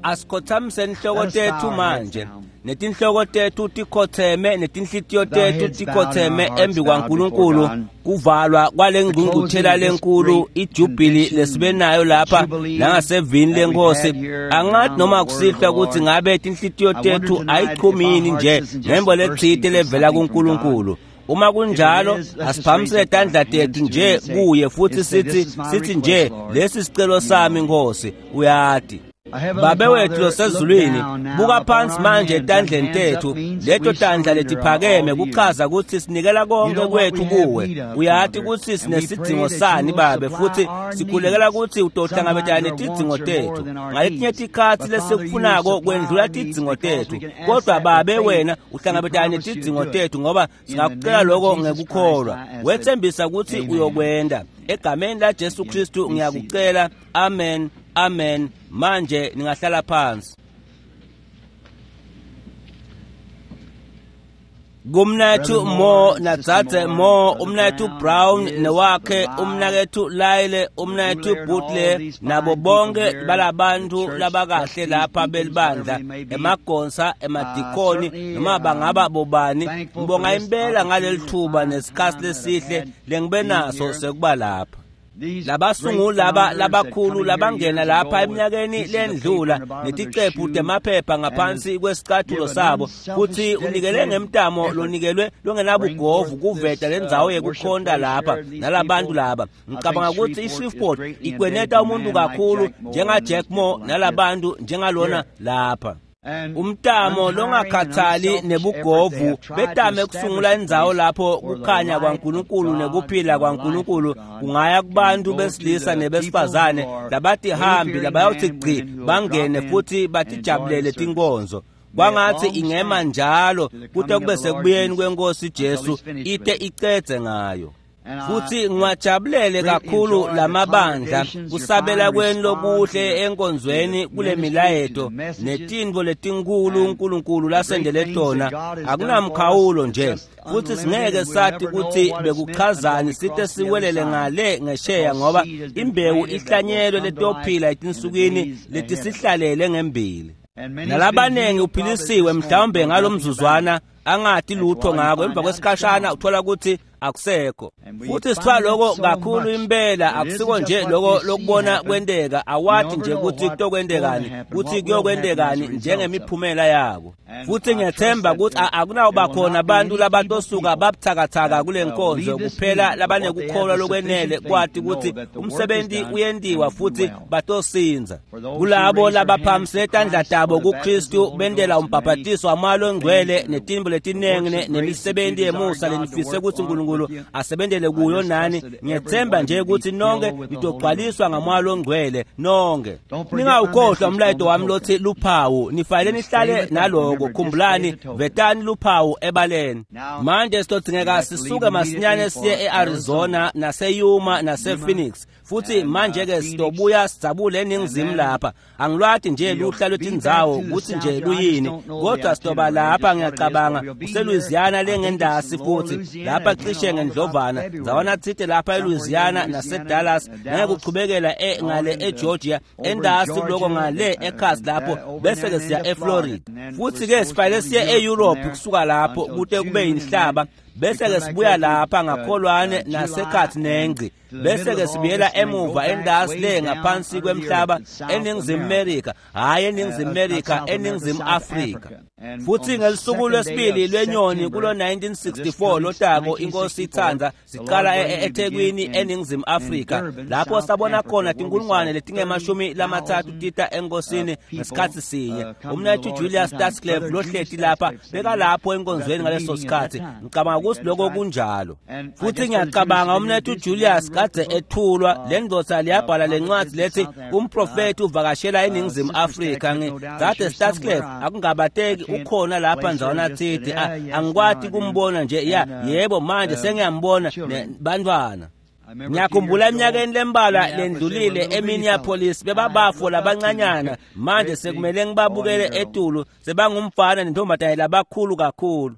Asikhothamise inhloko tethu manje, netinhloko tethu tikhotheme, netinhlitiyo tethu tikhotheme embi kwaNkulunkulu. Kuvalwa kwale ngqungquthela lenkulu ijubili lesibe nayo lapha nangasevini lenkosi. Angathi noma kusihlwa ukuthi ngabe tinhlitiyo tethu ayichumi yini nje ngembo letsite levela kuNkulunkulu. Uma kunjalo, asiphamisele tandla tethu nje kuye futhi sithi nje, lesi sicelo sami Nkosi, uyati. Babe wethu losezulwini, buka phansi manje etandleni tethu, leto tandla letiphakeme kuchaza ukuthi sinikela konke kwethu kuwe. Uyati ukuthi sinesidzingo sani Babe, futhi sikhulekela ukuthi utohlangabetana netidzingo tethu. Ngaletinye tikhatsi lesikufunako kwendlula tidzingo tethu, kodwa Babe wena uhlangabetana netidzingo tethu ngoba singakucela lokho ngekukholwa. Wethembisa ukuthi uyokwenda. Egameni la Jesu Kristu ngiyakucela. Amen. Amen. Manje ningahlala phansi. Kumnethu Mo naDzadze Mo, umnethu Brown newakhe, umnakethu Lyle, umnethu Butler, nabo bonke balabantu labakahle lapha belibandla, emagonsa, emadikoni, noma bangaba bobani, ngibonga impela ngaleli thuba nesikhathi lesihle lengibe naso sekuba lapha. Labasunguli laba labakhulu labangena lapha eminyakeni lendlula neticephu temaphepha ngaphansi kwesicathulo sabo, futhi unikele ngemtamo lonikelwe longenabugovu kuveta lendzawo yekukhonta lapha nalabantu laba. Ngicabanga ukuthi iShreveport ikweneta umuntu kakhulu njenga Jack Moore nalabantu njengalona lapha. Umtamo longakhathali nebugovu betame kusungula indzawo lapho kukhanya kwaNkulunkulu nekuphila kwaNkulunkulu kungaya kubantu besilisa nebesifazane labatihambi labayawuthi gci bangene futhi batijabulele tinkonzo. Kwangathi ingema njalo kute kube sekubuyeni kwenkosi Jesu ite icedze ngayo. Futhi ngiwajabulele kakhulu lamabandla kusabela kwenu lokuhle enkonzweni kule milayeto netintfo letinkulu uNkulunkulu lasendele tona. Akunamkhawulo nje, futhi singeke sathi ukuthi bekuchazani site siwelele ngale ngesheya, ngoba imbewu ihlanyelwe letophila etinsukwini letisihlalele ngembili. Nalabanengi uphilisiwe mhlawumbe ngalomzuzwana angati lutho ngako, emva kwesikhashana uthola ukuthi akusekho. Futhi sithola lokho kakhulu impela, akusiko nje lokho lokubona kwenteka, awathi nje ukuthi kutokwendekani, kuthi kuyokwendekani njengemiphumela yako. Futhi ngiyathemba ukuthi akunawuba khona abantu labatosuka babuthakathaka kule nkonzo, kuphela labanekukholwa lokwenele kwati ukuthi umsebenzi uyentiwa futhi batosinza. Kulabo labaphakamise tandla tabo kuKristu bendela umbhabhatiso wamoya ongcwele netimbo letinengi nemisebenzi yemusa lenifise ukuthi uNkulunkulu asebenzele kuyo nani, ngiyethemba nje ukuthi nonke nitogcwaliswa ngamoya ongcwele nonke. Ningawukhohlwa umlayeto wami lothi luphawu, nifanele nihlale naloko. Khumbulani, vetani luphawu ebaleni. Manje sitodingeka sisuke masinyane siye e-Arizona nase-Yuma nase-Phoenix, futhi manje-ke sitobuya sidzabule eningizimu lapha. Angilwati nje luhla lwetindzawo ukuthi nje luyini, kodwa sitoba lapha ngiyacabanga kuseLouisiana lengendasi, futhi lapha cishe ngendlovana ndzawana tsite lapha eLouisiana naseDallas, ngeke kuchubekela ngale eGeorgia, endasi kuloko ngale ekhasi lapho, bese-ke siya eFlorida. Futhi-ke sifanele siye e-Europe kusuka lapho kute kube yinhlaba, bese-ke sibuya lapha ngakholwane nasekhathi nengci, bese-ke sibuyela emuva endasi le ngaphansi kwemhlaba eNingizimu Amerika, hhayi eNingizimu Amerika, eNingizimu Afrika. Futhi ngelisuku lwesibili lwenyoni kulo 1964 lotako, inkosi ithanda, siqala eThekwini eNingizimu Afrika, lapho sabona khona tinkulungwane letingemashumi lamathathu tita enkosini ngesikhathi sinye. Umnethu Julius Stadsklev lohleti lapha bekalapho enkonzweni ngaleso sikhathi. Ngicabanga ukuthi lokho kunjalo. Futhi ngiyacabanga umnethu Julius kadze ethulwa le ndoda liyabhala lencwadi lethi umprofethi uvakashela eNingizimu Afrika. Dzadze Stadsklev akungabateki ukhona lapha ndzawana tsite, angikwati kumbona nje. Ya, yebo, manje sengiyambona bantwana. Ngiyakhumbula eminyakeni lembalwa lendlulile eMinneapolis bebabafo labancanyana, manje sekumele ngibabukele etulu sebangumfana nentombazane labakhulu kakhulu.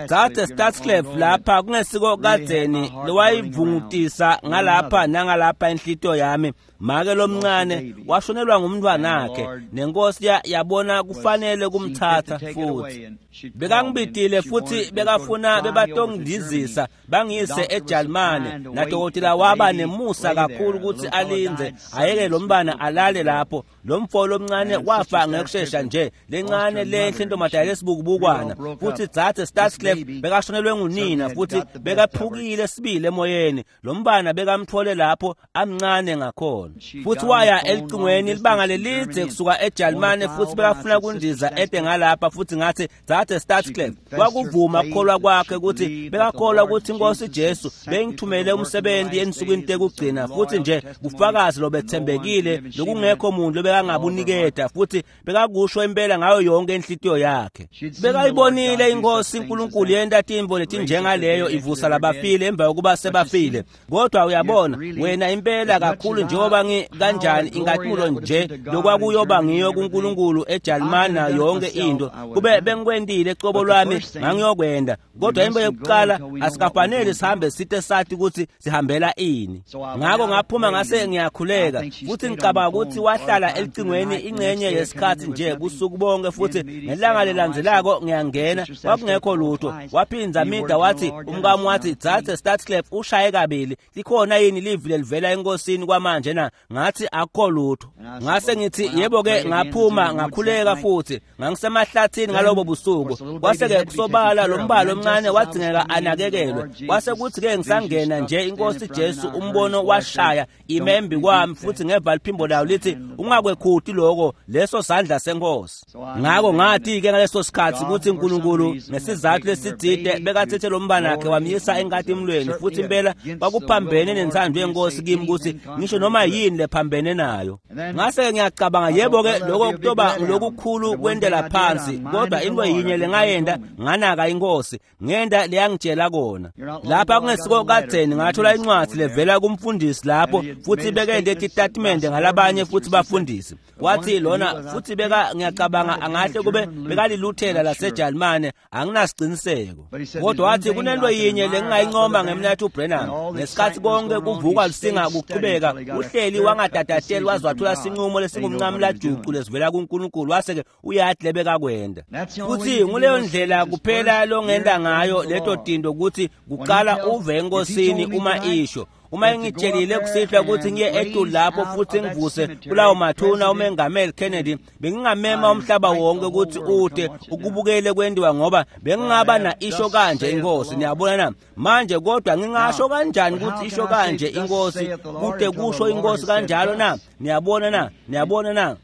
Dzadze Stadsklev lapha kungesiko kadzeni lowayivungutisa ngalapha nangalapha inhlitiyo yami. Make lomncane washonelwa ngumntwanakhe, nenkosi yabona kufanele kumthatha futhi. Bekangibitile futhi bekafuna bebatongidizisa bangiyise eJalimane, nadokotela waba nemusa kakhulu ukuthi alindze ayeke lo mntwana alale lapho. Lo mfo lomncane wafa ngekushesha nje, lencane lenhle intombazane lesibukubukwana. Futhi dzadze Starsclef bekashonelwe ngunina futhi bekaphukile sibili emoyeni. Lo mntwana bekamthole lapho amncane ngakhona. Futhi waya elicingweni libanga lelidze kusuka eJalimane, futhi bekafuna kundiza ede ngalapha. Futhi ngathi, dzadze Starsclef, kwakuvuma kukholwa kwakhe ukuthi bekakholwa ukuthi inkosi Jesu bengithumele umsebenzi ensukwini tekugcina, futhi nje kufakazi lobethembekile lokungekho muntu bekangabuniketa, futhi bekakusho impela ngayo yonke inhlitiyo yakhe. Bekayibonile inkosi uNkulunkulu yenta tintfo letinjengaleyo ivusa labafile emva kokuba sebafile. Kodwa uyabona wena impela kakhulu njengoba kanjani ingatulo nje lokwakuyoba ngiyo kuNkulunkulu eJalimane yonke into kube bengikwentile cobo lwami ngangiyokwenda. Kodwa into yokuqala asikafanele sihambe sithe sathi ukuthi sihambela ini. Ngakho ngaphuma ngase ngiyakhuleka, futhi ngicabanga ukuthi wahlala elicingweni ingxenye yesikhathi nje busuku bonke. Futhi ngelanga lelandzelako ngiyangena, kwakungekho lutho. Waphinza mida wathi umkami wathi, dzadze Starsclef ushaye kabili, likhona yini livi lelivela enkosini kwamanje na? Ngathi akukho lutho. Ngase ngithi yebo-ke, ngaphuma ngakhuleka futhi ngangisemahlathini ngalobo busuku. Kwase-ke kusobala lo mbalo omncane wadzingeka anakekelwe. Kwase kuthi-ke ngisangena nje inkosi Jesu umbono washaya imembi kwami, futhi ngeva liphimbo layo lithi, ungakwekhuti lokho, leso sandla senkosi. Ngakho ngathi-ke ngaleso sikhathi ukuthi uNkulunkulu ngesizathu lesitsite bekathethe lo mbanakhe wamyisa enkatimlweni, futhi impela kwakuphambene nenthando yenkosi kimi ukuthi ngisho noma yini lephambene nayo. Ngase ngiyacabanga, yebo-ke lokho kutoba lokukhulu kwentela phansi, kodwa into yinye lengayenda nganaka inkosi ngenda leyangitshela kona. Lapha kungesiko kadzeni ngathola incwadi levela kumfundisi lapho, futhi bekende titatimende ngalabanye futhi bafundisi. Wathi lona futhi beka ngiyacabanga angahle kube bekaliluthela laseJalimane, anginasiqiniseko. Kodwa wathi kunento yinye lengingayincoma ngemnathu Branham, ngesikhathi konke kuvukwa lusinga kuqhubeka, uhleli wangatatateli waze wathola sinqumo lesingumncamlajuqu lesivela kuNkulunkulu, wase-ke uyathi lebekakwenda. Futhi nguleyo ndlela kuphela longenda ngayo leto tinto, ukuthi kuqala uve enkosini uma isho. Uma ngitshelile kusihlwa ukuthi ngiye etulu lapho futhi ngivuse kulawo mathuna umengameli Kennedy, bengingamema umhlaba wonke ukuthi ude ukubukele kwendiwa, ngoba bengingaba na isho kanje inkosi. Niyabona na manje? Kodwa ngingasho kanjani ukuthi isho kanje inkosi kude kusho inkosi kanjalo na? Niyabona na? Niyabona na?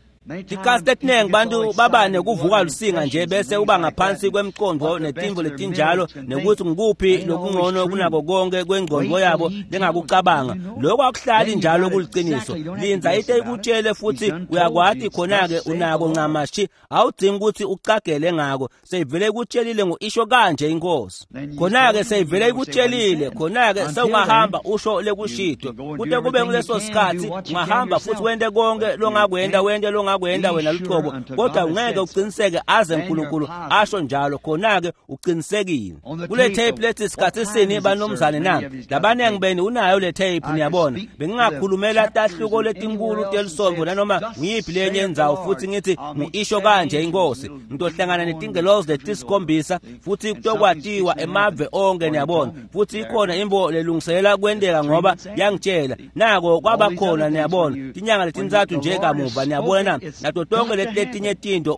Tikhathi letiningi bantu baba nekuvuka lusinga nje bese uba ngaphansi kwemqondo netimvo letinjalo, nekuthi ngikuphi lokungcono kunako konke kwengqondo yabo lengakucabanga. Lokho akuhlali njalo kuliciniso. Linza ite ikutshele futhi uyakwati khona-ke unako ncamashi, awudingi ukuthi ucagele ngako. Seyivele ikutshelile ngo-isho kanje inkosi. Khona-ke seyivele ikutshelile, khona-ke sewungahamba usho lekushito. Kute kube nguleso sikhathi ungahamba futhi wente konke longakwenda, wente longakwenda wena luqobo, kodwa ungeke uqiniseke aze uNkulunkulu asho njalo. Khona-ke uqinisekile. Kule tape lethi sikhathi sini banomzane na? Labaningi benu unayo le tape, niyabona. Bengingakhulumela tahluko letinkulu telisonto nanoma ngiyiphi lenye indzawo futhi ngithi ngu-isho kanje inkosi. Ngitohlangana netingelozi letisikhombisa futhi kutokwatiwa emave onke, niyabona. Futhi ikhona imbo lelungiselela kwenteka ngoba yangitshela. Nako kwaba khona, niyabona. Tinyanga letintsatfu nje kamuva, niyabona na? Nato tonke letinye tinto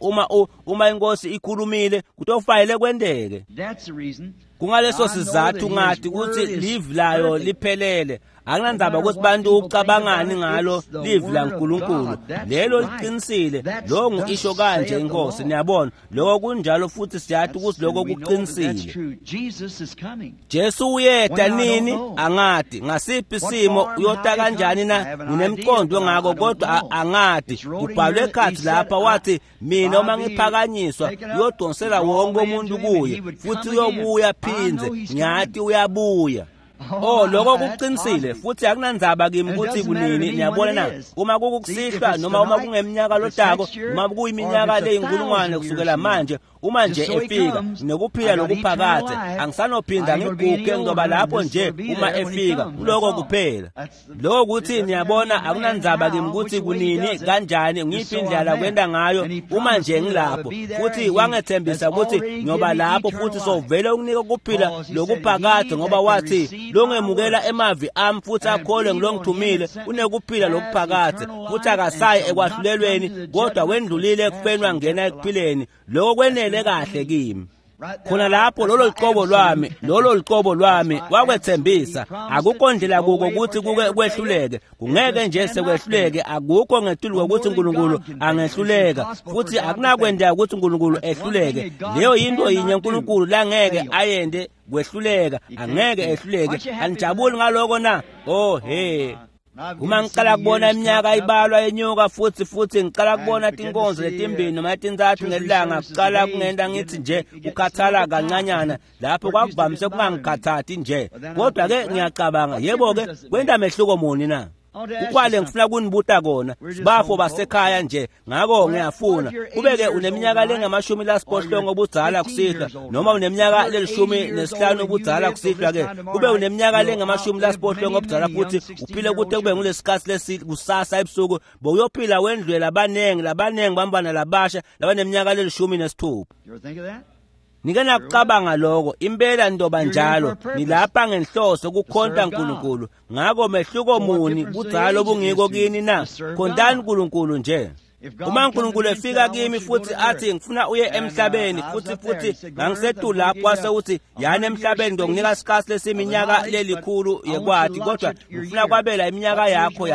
uma inkosi ikhulumile kutofanele kwenteke. Kungaleso sizathu ngathi ukuthi livi layo liphelele. Akunandzaba ukuthi bantu ucabangani ngalo livi laNkulunkulu, lelo liqinisile. Lo ngu-isho kanje inkosi, niyabona. Lokho kunjalo futhi siyathi ukuthi lokho kuqinisile. Jesu uyeta nini? Angati. Ngasiphi isimo uyota kanjani na? Nginemqondo ngako kodwa angati. Kubhalwe ekhathi lapha wathi, mina uma ngiphakanyiswa uyodonsela wonke umuntu kuye, futhi uyobuya phindze. Ngiyathi uyabuya. Oh, lokho kuqinisile futhi akunandzaba kimi ukuthi kunini, niyabona na? Uma kukukusihlwa noma uma kungeminyaka lotako, noma kuyiminyaka leyinkulungwane kusukela manje, Uma nje efika nginekuphila lokuphakadze, angisanophinda ngiguge, ngizoba lapho nje uma efika. Kuloko kuphela. Lokho kuthi niyabona, akunandzaba kimi ukuthi kunini, kanjani, ngiyiphi indlela kwenda ngayo, uma nje ngilapho. Futhi wangethembisa ukuthi ngiyoba lapho, futhi sovele ukunika ukuphila lokuphakadze, ngoba wathi longemukela emavi ami futhi akholwe ngilongithumile unekuphila lokuphakadze, futhi akasayi ekwahlulelweni, kodwa wendlulile ekufeni wangena ekuphileni. Lokho kwenele kahle kimi. Khona lapho, lolo luqobo lwami, lolo luqobo lwami, wakwethembisa. Akukho ndlela kuko ukuthi kuke kwehluleke, kungeke nje sekwehluleke. Akukho ngetulu kokuthi uNkulunkulu angehluleka, futhi akunakwendeka ukuthi uNkulunkulu ehluleke. Leyo yinto yinye uNkulunkulu langeke ayende, kwehluleka. Angeke ehluleke. Anijabuli ngaloko na? Oh he. Uma ngiqala kubona iminyaka ibalwa yenyuka, futhi ngiqala kubona tinkonzo letimbili noma letintsatfu ngelanga, kuqala kungenta ngithi nje kukhathala kancanyana. Lapho kwakuvamise kungangikhathati nje, kodwa-ke ngiyacabanga, yebo-ke, kwenta mehluko muni na? Kukwale ngifuna kunibuta kona, sibafo basekhaya nje, ngako ngiyafuna kube-ke uneminyaka lengama-80 obudzala kusihlwa, noma uneminyaka le-15 obudzala kusihlwa-ke, kube uneminyaka lengama-80 obudzala futhi uphile kute kube ngulesikhathi lesi kusasa ebusuku, bowuyophila wendlule labaningi labaningi bambana labasha labaneminyaka le-16. Nike nakucabanga lokho? Impela ntoba njalo. Nilapha ngenhloso kukhonta uNkulunkulu. Ngako mehluko muni budzala obungiko kini na? Khontani uNkulunkulu nje. Uma uNkulunkulu efika kimi futhi athi ngifuna uye emhlabeni, futhi ngangisetu lapho, wase uthi yani emhlabeni, ngizokunika isikhathi lesiminyaka lelikhulu yekwati, kodwa ngifuna kwabela iminyaka yakho.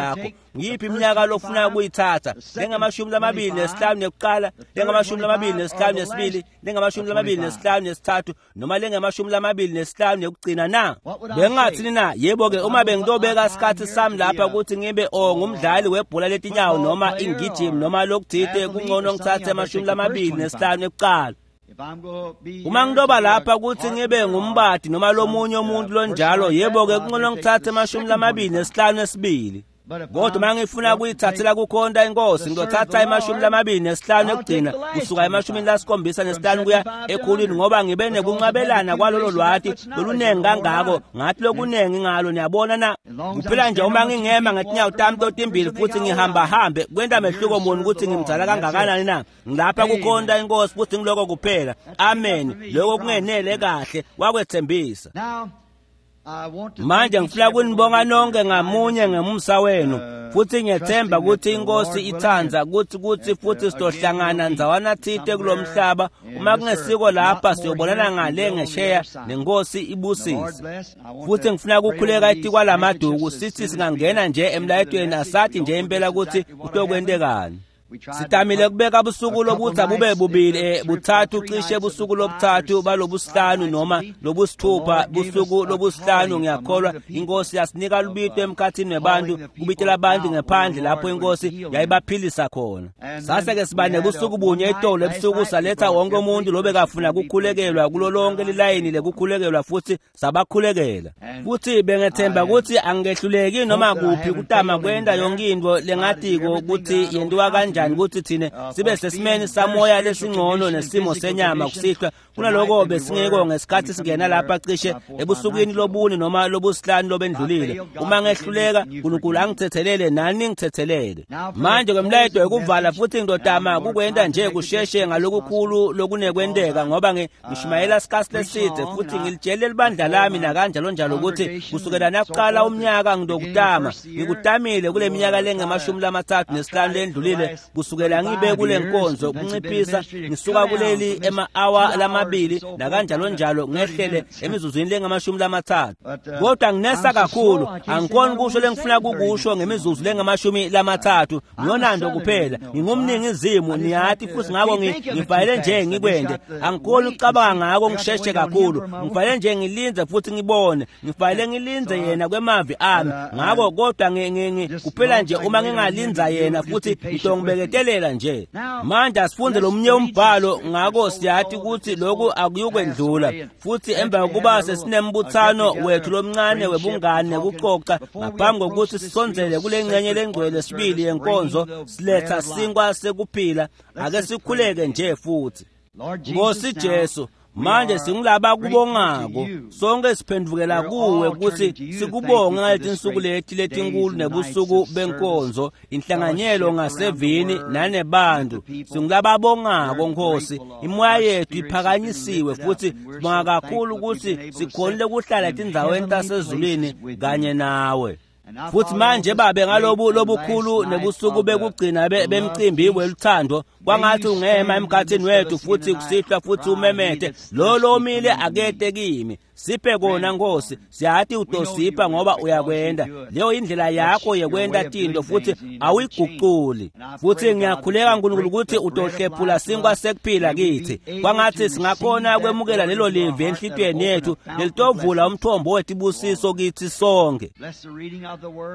Ngiyiphi iminyaka lofuna kuyithatha? Lengama-25 nekuqala, lengama-25 nesibili, lengama-25 nesithathu, noma lengama-25 nekugcina na? Bengingathini na? Yebo-ke, uma bengitobeka isikhathi sami lapha ukuthi ngibe ngumdlali webhola letinyawo noma ingijimi noma lokuthite, kungcono ngithathe ama-25 ekuqala. Uma ngitoba lapha ukuthi ngibe ngumbadi noma lomunye umuntu lonjalo, yebo-ke, kungcono ngithathe ama-25 esibili. Kodwa uma ngifuna kuyithathela kukhonta inkosi, ngizothatha ama-25 ekugcina, kusuka ema-75 kuya ekhulwini, ngoba ngibe nekunqabelana kwalolo lwati loluningi kangako, ngathi lokuningi ngalo. Niyabona na? Kuphela nje uma ngingema ngetinyawo tami totimbili futhi ngihambahambe, kwenta mehluko muni ukuthi ngimdzala kangakanani na? Ngilapha kukhonta inkosi, futhi ngiloko kuphela. Amen. Lokho kungenele kahle, wakwethembisa. Manje ngifuna kunibonga nonke ngamunye ngemusa wenu, futhi ngiyethemba ukuthi inkosi ithanda ukuthi futhi sizohlangana ndzawana thite kulomhlaba. Uma kungesiko lapha, siyobonana ngale ngesheya, nenkosi ibusise. Futhi ngifuna ukukhuleka etikwalamaduku, sithi singangena nje emlayetweni, asathi nje impela ukuthi kutokwentekani. Sitamile kubeka busuku lokuthi abube bubili, buthathu, cishe busuku lobuthathu balobusihlanu noma lobusithupha, busuku lobusihlanu ngiyakholwa inkosi yasinika lubito emkhathini webantu, kubitela abantu ngephandle lapho inkosi yayibaphilisa khona. Sase-ke siba nebusuku bunye etolo ebusuku, saletha wonke umuntu lobekafuna kukhulekelwa kulo lonke lilayini lekukhulekelwa, futhi sabakhulekela. Futhi bengethemba ukuthi angehluleki noma kuphi kutama kwenta yonke into lengatiko ukuthi yentiwa kanjani ukuthi thine sibe sesimeni samoya lesingcono nesimo senyama kusihlwa kunaloko besingeko ngesikhathi singena lapha cishe ebusukwini lobuni noma lobusihlanu lobendlulile. Uma ngehluleka, uNkulunkulu angithethelele nani ngithethelele. Manje kwemlayeto ekuvala, futhi ngidodama kukwenta nje kusheshe ngalokukhulu lokunekwenteka, ngoba ngishumayela isikhathi leside, futhi ngilitshele libandla lami nakanjalo njalo ukuthi kusukela nakuqala umnyaka ngidokutama ngikutamile kule minyaka lengama-35 lendlulile, kusukela ngibe kule nkonzo, kunciphisa ngisuka kuleli ema-hour lamabili nakanjalo njalo ngehlele emizuzwini lengama-30. Kodwa nginesa kakhulu, angikhoni kusho lengifuna kukusho ngemizuzu lengama-30. Ngiyonando kuphela, ngingumningizimu niyathi, futhi ngako ngifanele nje ngikwende. Angikhoni ukucabanga ngako ngisheshe kakhulu, ngifanele nje ngilindze futhi ngibone, ngifanele ngilindze yena kwemavi ami ngako. Kodwa kuphela nje uma ngingalinza yena, futhi ngitongibeke nje. Manje asifunde lomunye umbhalo, ngako siyathi ukuthi lokhu akuyukwendlula. Futhi emva kokuba sesinembuthano wethu lomncane webungane nekucoca, ngaphambi kokuthi sisondzele kule ngcenye lengcwele sibili yenkonzo, siletha sinkwa sekuphila, ake sikhuleke nje futhi. Nkosi Jesu, manje singulaba kubongako, sonke siphendvukela kuwe kutsi sikubonge ngaletinsuku leti letinkulu nebusuku benkonzo, inhlanganyelo ngasevini nanebantu. Singulababongako Nkosi, imoya yethu iphakanyisiwe futhi sibonga kakhulu kutsi sikhonile kuhlala etindzaweni tasezulwini kanye nawe. Futhi manje babe ngalobu lobukhulu nebusuku bekugcina bemcimbi weluthando, kwangathi ungema emkhathini wethu futhi kusihlwa futhi umemete lo lomile akete kimi. Siphe kona Nkosi, siyati utosipha ngoba uyakwenda. Leyo indlela yakho yekwenda tinto futhi awuyiguculi. Futhi ngiyakhuleka nkulunkulu ukuthi utohlephula sinkwa sekuphila kithi. Kwangathi singakhona kwemukela lelo livi enhlitiyweni yethu lelitovula umthombo wetibusiso kithi sonke.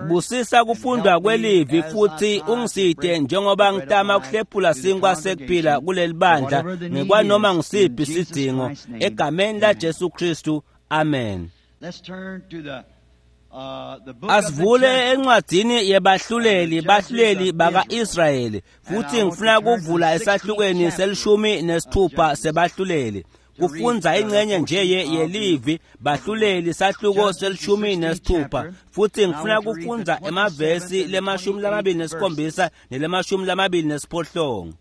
Busisa kufundwa kwelivi futhi ungiside njengoba ngitama kuhlephula sinkwa sekuphila kuleli bandla ngekwanoma ngisiphi isidingo egameni la Jesu Kristu. Amen. Asivule encwadini yebahluleli, bahluleli baka-Israyeli, futhi ngifuna kuvula esahlukweni se-16 sebahluleli. Kufundza ingcenye nje yelivi bahluleli sahluko se-16, futhi ngifuna kufundza emavesi le-27 nele-28.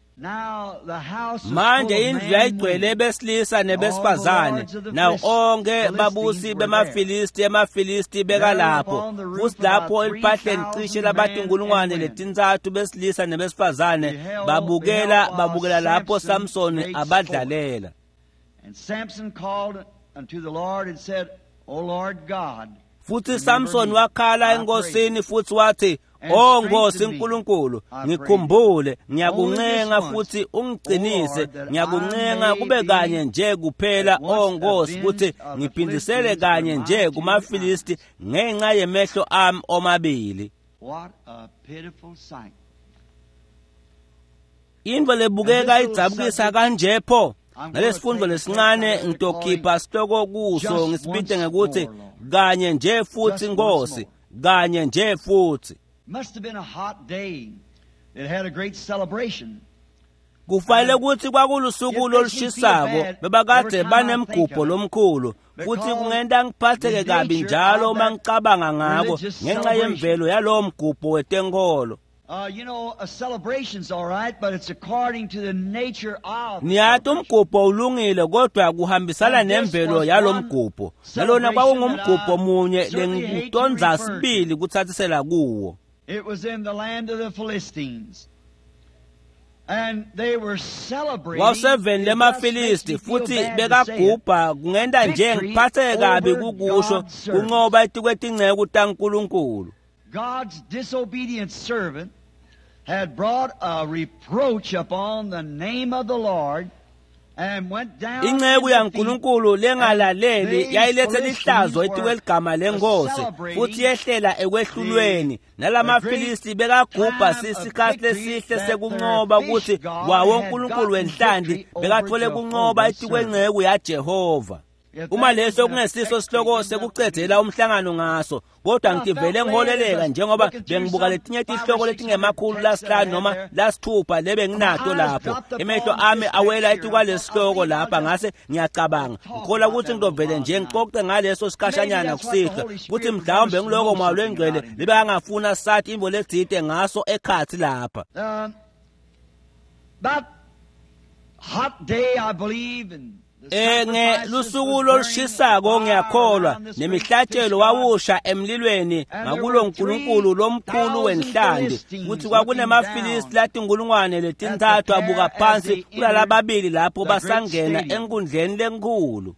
Manje indlu yayigcwele besilisa nebesifazane, nawo onke babusi bemaFilisti, emaFilisti bekalapho. Futhi lapho eliphahleni cishe labatinkulungwane letintsatfu besilisa nebesifazane babukela lapho Samsoni abadlalela. Futhi Samson wakhala enkosini futhi wathi, "O Nkosi uNkulunkulu, ngikhumbule, ngiyakuncenga futhi ungiqinise, ngiyakuncenga kube kanye nje kuphela, O Nkosi, ukuthi ngiphindisele kanye nje kumaFilisti ngenxa yemehlo ami omabili." Into lebukeka idzabukisa kanje pho. Nalesifundo lesincane ngitokhipha sihloko kuso ngisibite ngekuthi kanye nje futhi Nkosi, kanye nje futhi. Kufanele ukuthi kwakulusuku lolushisako, bebakade banemgubho lomkhulu, futhi kungenta ngiphatheke kabi njalo uma ngicabanga ngako ngenxa yemvelo yalowo mgubho wetenkolo. Niyati umgubho ulungile kodwa kuhambisana nemvelo yalomgubho. Nalona kwakungumgubho munye lengitondza sibili kuthathisela kuwo. It was in the land of the Philistines. And they were celebrating. Wawuseveni lemaFilisti futhi bekagubha kungenta nje ngiphatheke kabi kukusho kuncoba etikwetinceku taNkulunkulu. God's disobedient servant had brought a reproach upon the name of the Lord and went down. Inceku yaNkulunkulu lengalaleli yayilethe lihlazo etikweligama lenkosi futhi yehlela ekwehlulweni. NalamaFilisti bekagubha sisikhathi lesihle sekuncoba ukuthi wawo uNkulunkulu wenhlanti bekathole kuncoba etikwenceku yaJehova. Uma leso kungesiso sihloko sekucedzela umhlangano ngaso, kodwa ngivele ngiholeleka njengoba bengibuka letinye tihloko letingemakhulu lasihlanu noma lasithupha lebe nginato lapho. Emehlo ami awela etikwalesihloko lapha, ngase ngiyacabanga ngikhola ukuthi ngitovele nje ngixoxe ngaleso sikhashanyana kusihlwa, futhi mhlawumbe ngiloko Moya lwengcwele libe angafuna sathi imvo letsite ngaso ekhathi lapha. Hot day, I believe, and Ngelusuku lolushisako ngiyakholwa nemihlatshelo wawusha emlilweni ngakulo nkulunkulu lomkhulu wenhlanti, futhi kwakunemafilisti latinkulungwane letintsatfu abuka phansi kulalababili lapho basangena enkundleni lenkulu.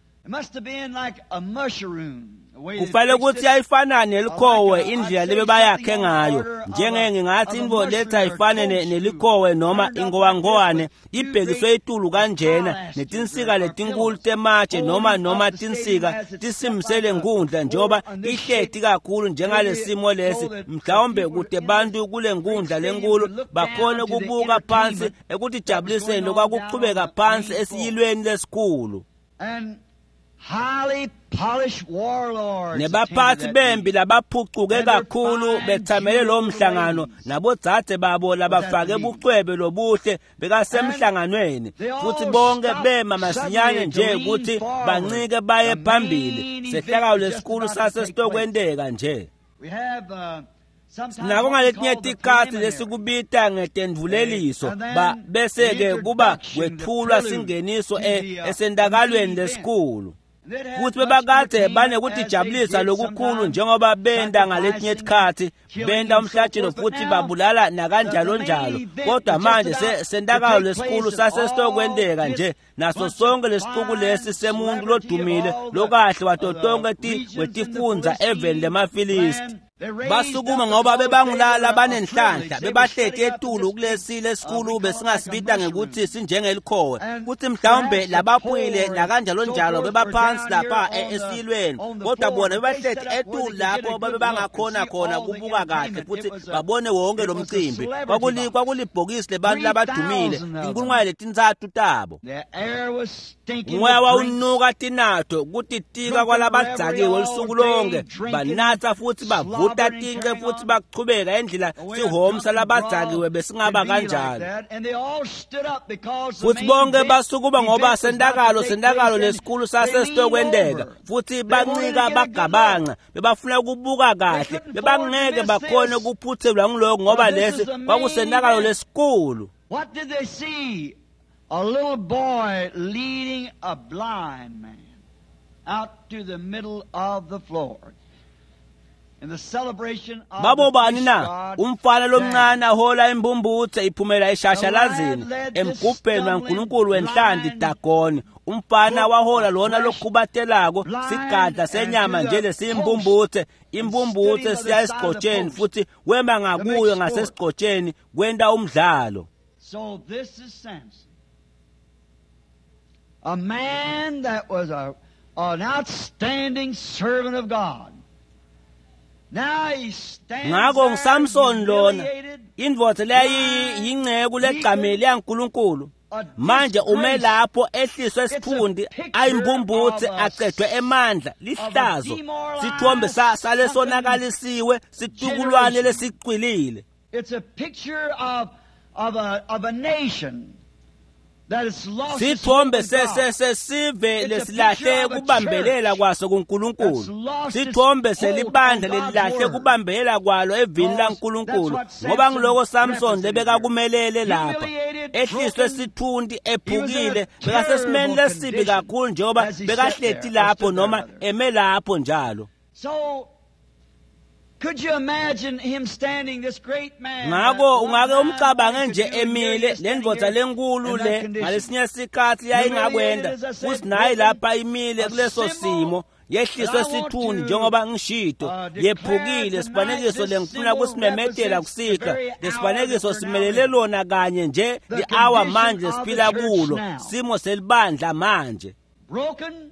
Kufanele ukuthi ayifana nelikhowe indlela lebebayakhe ngayo, njenge ngingathi intfo lethi ayifane nelikhowe noma ingowangowane ibhekiswe etulu kanjena netinsika letinkulu tematshe noma tinsika tisimisele nkundla njengoba ihleti kakhulu njengalesimo lesi, mhlawumbe kude bantu kule nkundla lenkulu bakhone kubuka phansi ekutijabuliseni lokwakuchubeka phansi esiyilweni lesikhulu. Highly polished warlords Nebaphathi attended that bempi meeting. labaphucuke kakhulu bethamele lowo mhlangano nabodzadze babo labafake bucwebe lobuhle bekasemhlanganweni futhi bonke bema masinyane nje ukuthi bancike baye phambili. Sehlakalo lesikhulu sasesitokwenteka nje. We have sometimes Nako what we ngaletinye call the tikhatsi preliminary. lesikubita ngetendvuleliso ba bese-ke kuba kwetfulwa singeniso esentakalweni lesikhulu. Futhi bebakade banekutijabulisa lokukhulu njengoba benta ngaletinye tikhatsi, benta umhlatshelo futhi babulala nakanjalo njalo. Kodwa manje sentakalo lesikhulu sasesitokwenteka nje naso sonke lesixuku lesi semuntu lodumile lokahle wato tonkhe wetifundza eveni lemaFilisti. Basukuma ngoba bebangulala banenhlanhla, bebahleti etulu kulesi lesikhulu besingasibita ngekuthi sinjengelikhowe, kuthi mhlawumbe labaphuyile nakanjalo njalo bebaphansi lapha esilweni, kodwa bona bebahleti etulu lapho babebangakhona khona kubuka kahle futhi babone wonke lo mcimbi. Kwakulibhokisi lebantu labadumile, 3,000 tabo. The air was stinking Umoya with drink. wawunuka tinato kutitika kwalabadzakiwe lusuku lonke, banatsa futhi bavuta tince futhi bachubeka endlela sihomsa labadzakiwe besingaba kanjalo. Futhi bonke basukuma ngoba sentakalo lesikhulu sasesitokwenteka futhi bancika bagabanca, bebafuna ukubuka kahle, bebangeke bakhone ukuphuthelwa ngiloko ngoba lesi kwakusentakalo lesikhulu. What did they see? A little boy leading a blind man out to the middle of the floor. In the celebration of Babo the bani fish na? god Umfana lomncane Dagon. ahola imbumbuthe iphumela eshashalazini emgubheni waNkulunkulu wenhlanti Dagoni. Umfana wahola lona lokhubatelako sigadla senyama nje lesiyimbumbuthe, imbumbuthe siya esigcotsheni futhi wema ngakuyo ngasesigcotsheni kwenta umdlalo. So this is Samson. A man that was an outstanding servant of God. Now he stands Ngakho there nguSamson lona, humiliated, indvodza leyayiyingceku legcamile yaNkulunkulu. a Manje ume disgrace, lapho ehliswe esiphundi ayimbumbuthe acedwe emandla lihlazo, sithombe salesonakalisiwe situkulwane lesicwilile. It's a picture of a nation that has lost its hope Sithombe in God. sesive lesilahle kubambelela kwaso kuNkulunkulu, sithombe selibandla lelilahle kubambelela kwalo evini laNkulunkulu, ngoba ngiloko Samson lebekakumelele lapha, ehliswe sithunti ephukile, bekasesimeni lesibi kakhulu njengoba bekahleti lapho noma eme lapho njalo. So could you imagine him standing, this great man? Ngakho ungake umcabange what he nje could do, and here emile he is le standing ndvodza here lenkulu in that le condition. ngalesinye sikhatsi yayingakwenda futhi naye lapha imile kuleso simo yehliswe sithunzi njengoba ngishito, yephukile. Sifanekiso lengifuna kusimemetela kusika, lesifanekiso simelele lona kanye nje li-hour manje siphila kulo, simo selibandla manje. Broken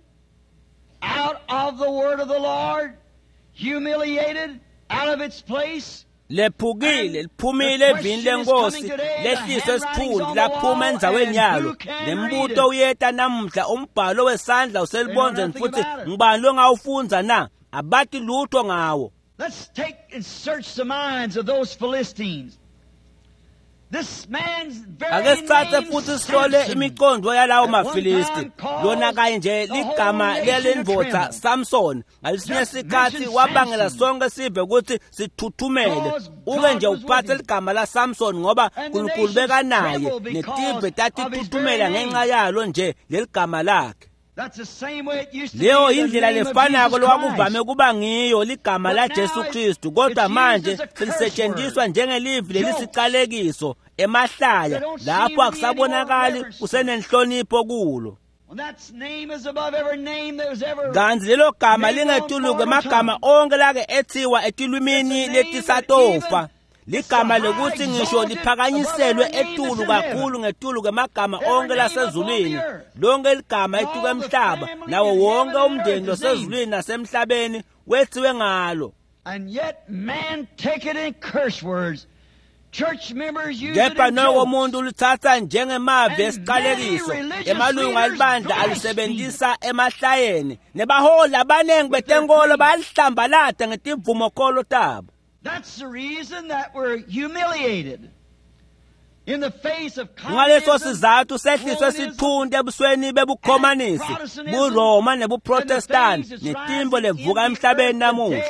out of the word of the Lord, humiliated out of its place. Lephukile liphumile evini lenkosi, lehliswe sithunzi laphuma endzaweni yalo. Nembuto uyeta namuhla, umbhalo wesandla uselibonzeni futhi ngubani longawufundza na? Abati lutho ngawo. Let's take and search the minds of those Philistines. This man's very Ake sithathe name, futhi sihlole Samson, imiqondo yalawo at one maFilisti. time caused Lona kanye nje the ligama whole nation to lelendvodza tremble. Samson ngalesinye Just sikhathi mention wabangela Samson. sonke sive ukuthi sithuthumele. Because Uke God nje was with uphathe him. ligama la Samson ngoba And the uNkulunkulu nations bekanaye, trembled because netive of his tatithuthumela very ngenxa yalo nje leligama lakhe. That's the same way it used to Leyo be the indlela name of lefanako Jesus lokwakuvame Christ. kuba ngiyo ligama But la now Jesu Kristu, kodwa it's used manje as a curse selisetshenziswa word. njengelivi Jokes. lelisicalekiso emahlaya, There don't seem lapho to be any more akusabonakali reverence. kusenenhlonipho kulo. When that name is above every name that was ever Kanti lelo gama named on lingetulu mortal kwemagama tongue. onke lake ethiwa etilwimini It's a name letisatofa. that even Ligama it's the lekuthi high ngisho exalted liphakanyiselwe above every name etulu that's in kakhulu heaven. ngetulu kwemagama Every onke name lasezulwini, upon the earth. lonke ligama All etuku the emhlaba, family nawo in wonke heaven and umndeni earth is losezulwini nasemhlabeni wethiwe ngalo. And yet man take it in curse words. Kepha noko umuntu uluthatha njengemavi esiqalekiso. Emalungu alibandla alisebenzisa emahlayeni, nebaholi abaningi betenkolo bayalihlambalata ngetimvumokholo tabo. That's the reason that we're humiliated. In the face of Ngaleso sizathu sehliswe sithunti ebusweni bebukhomanisi, buRoma nebuProtestanti, netimbo levuka emhlabeni namuhla.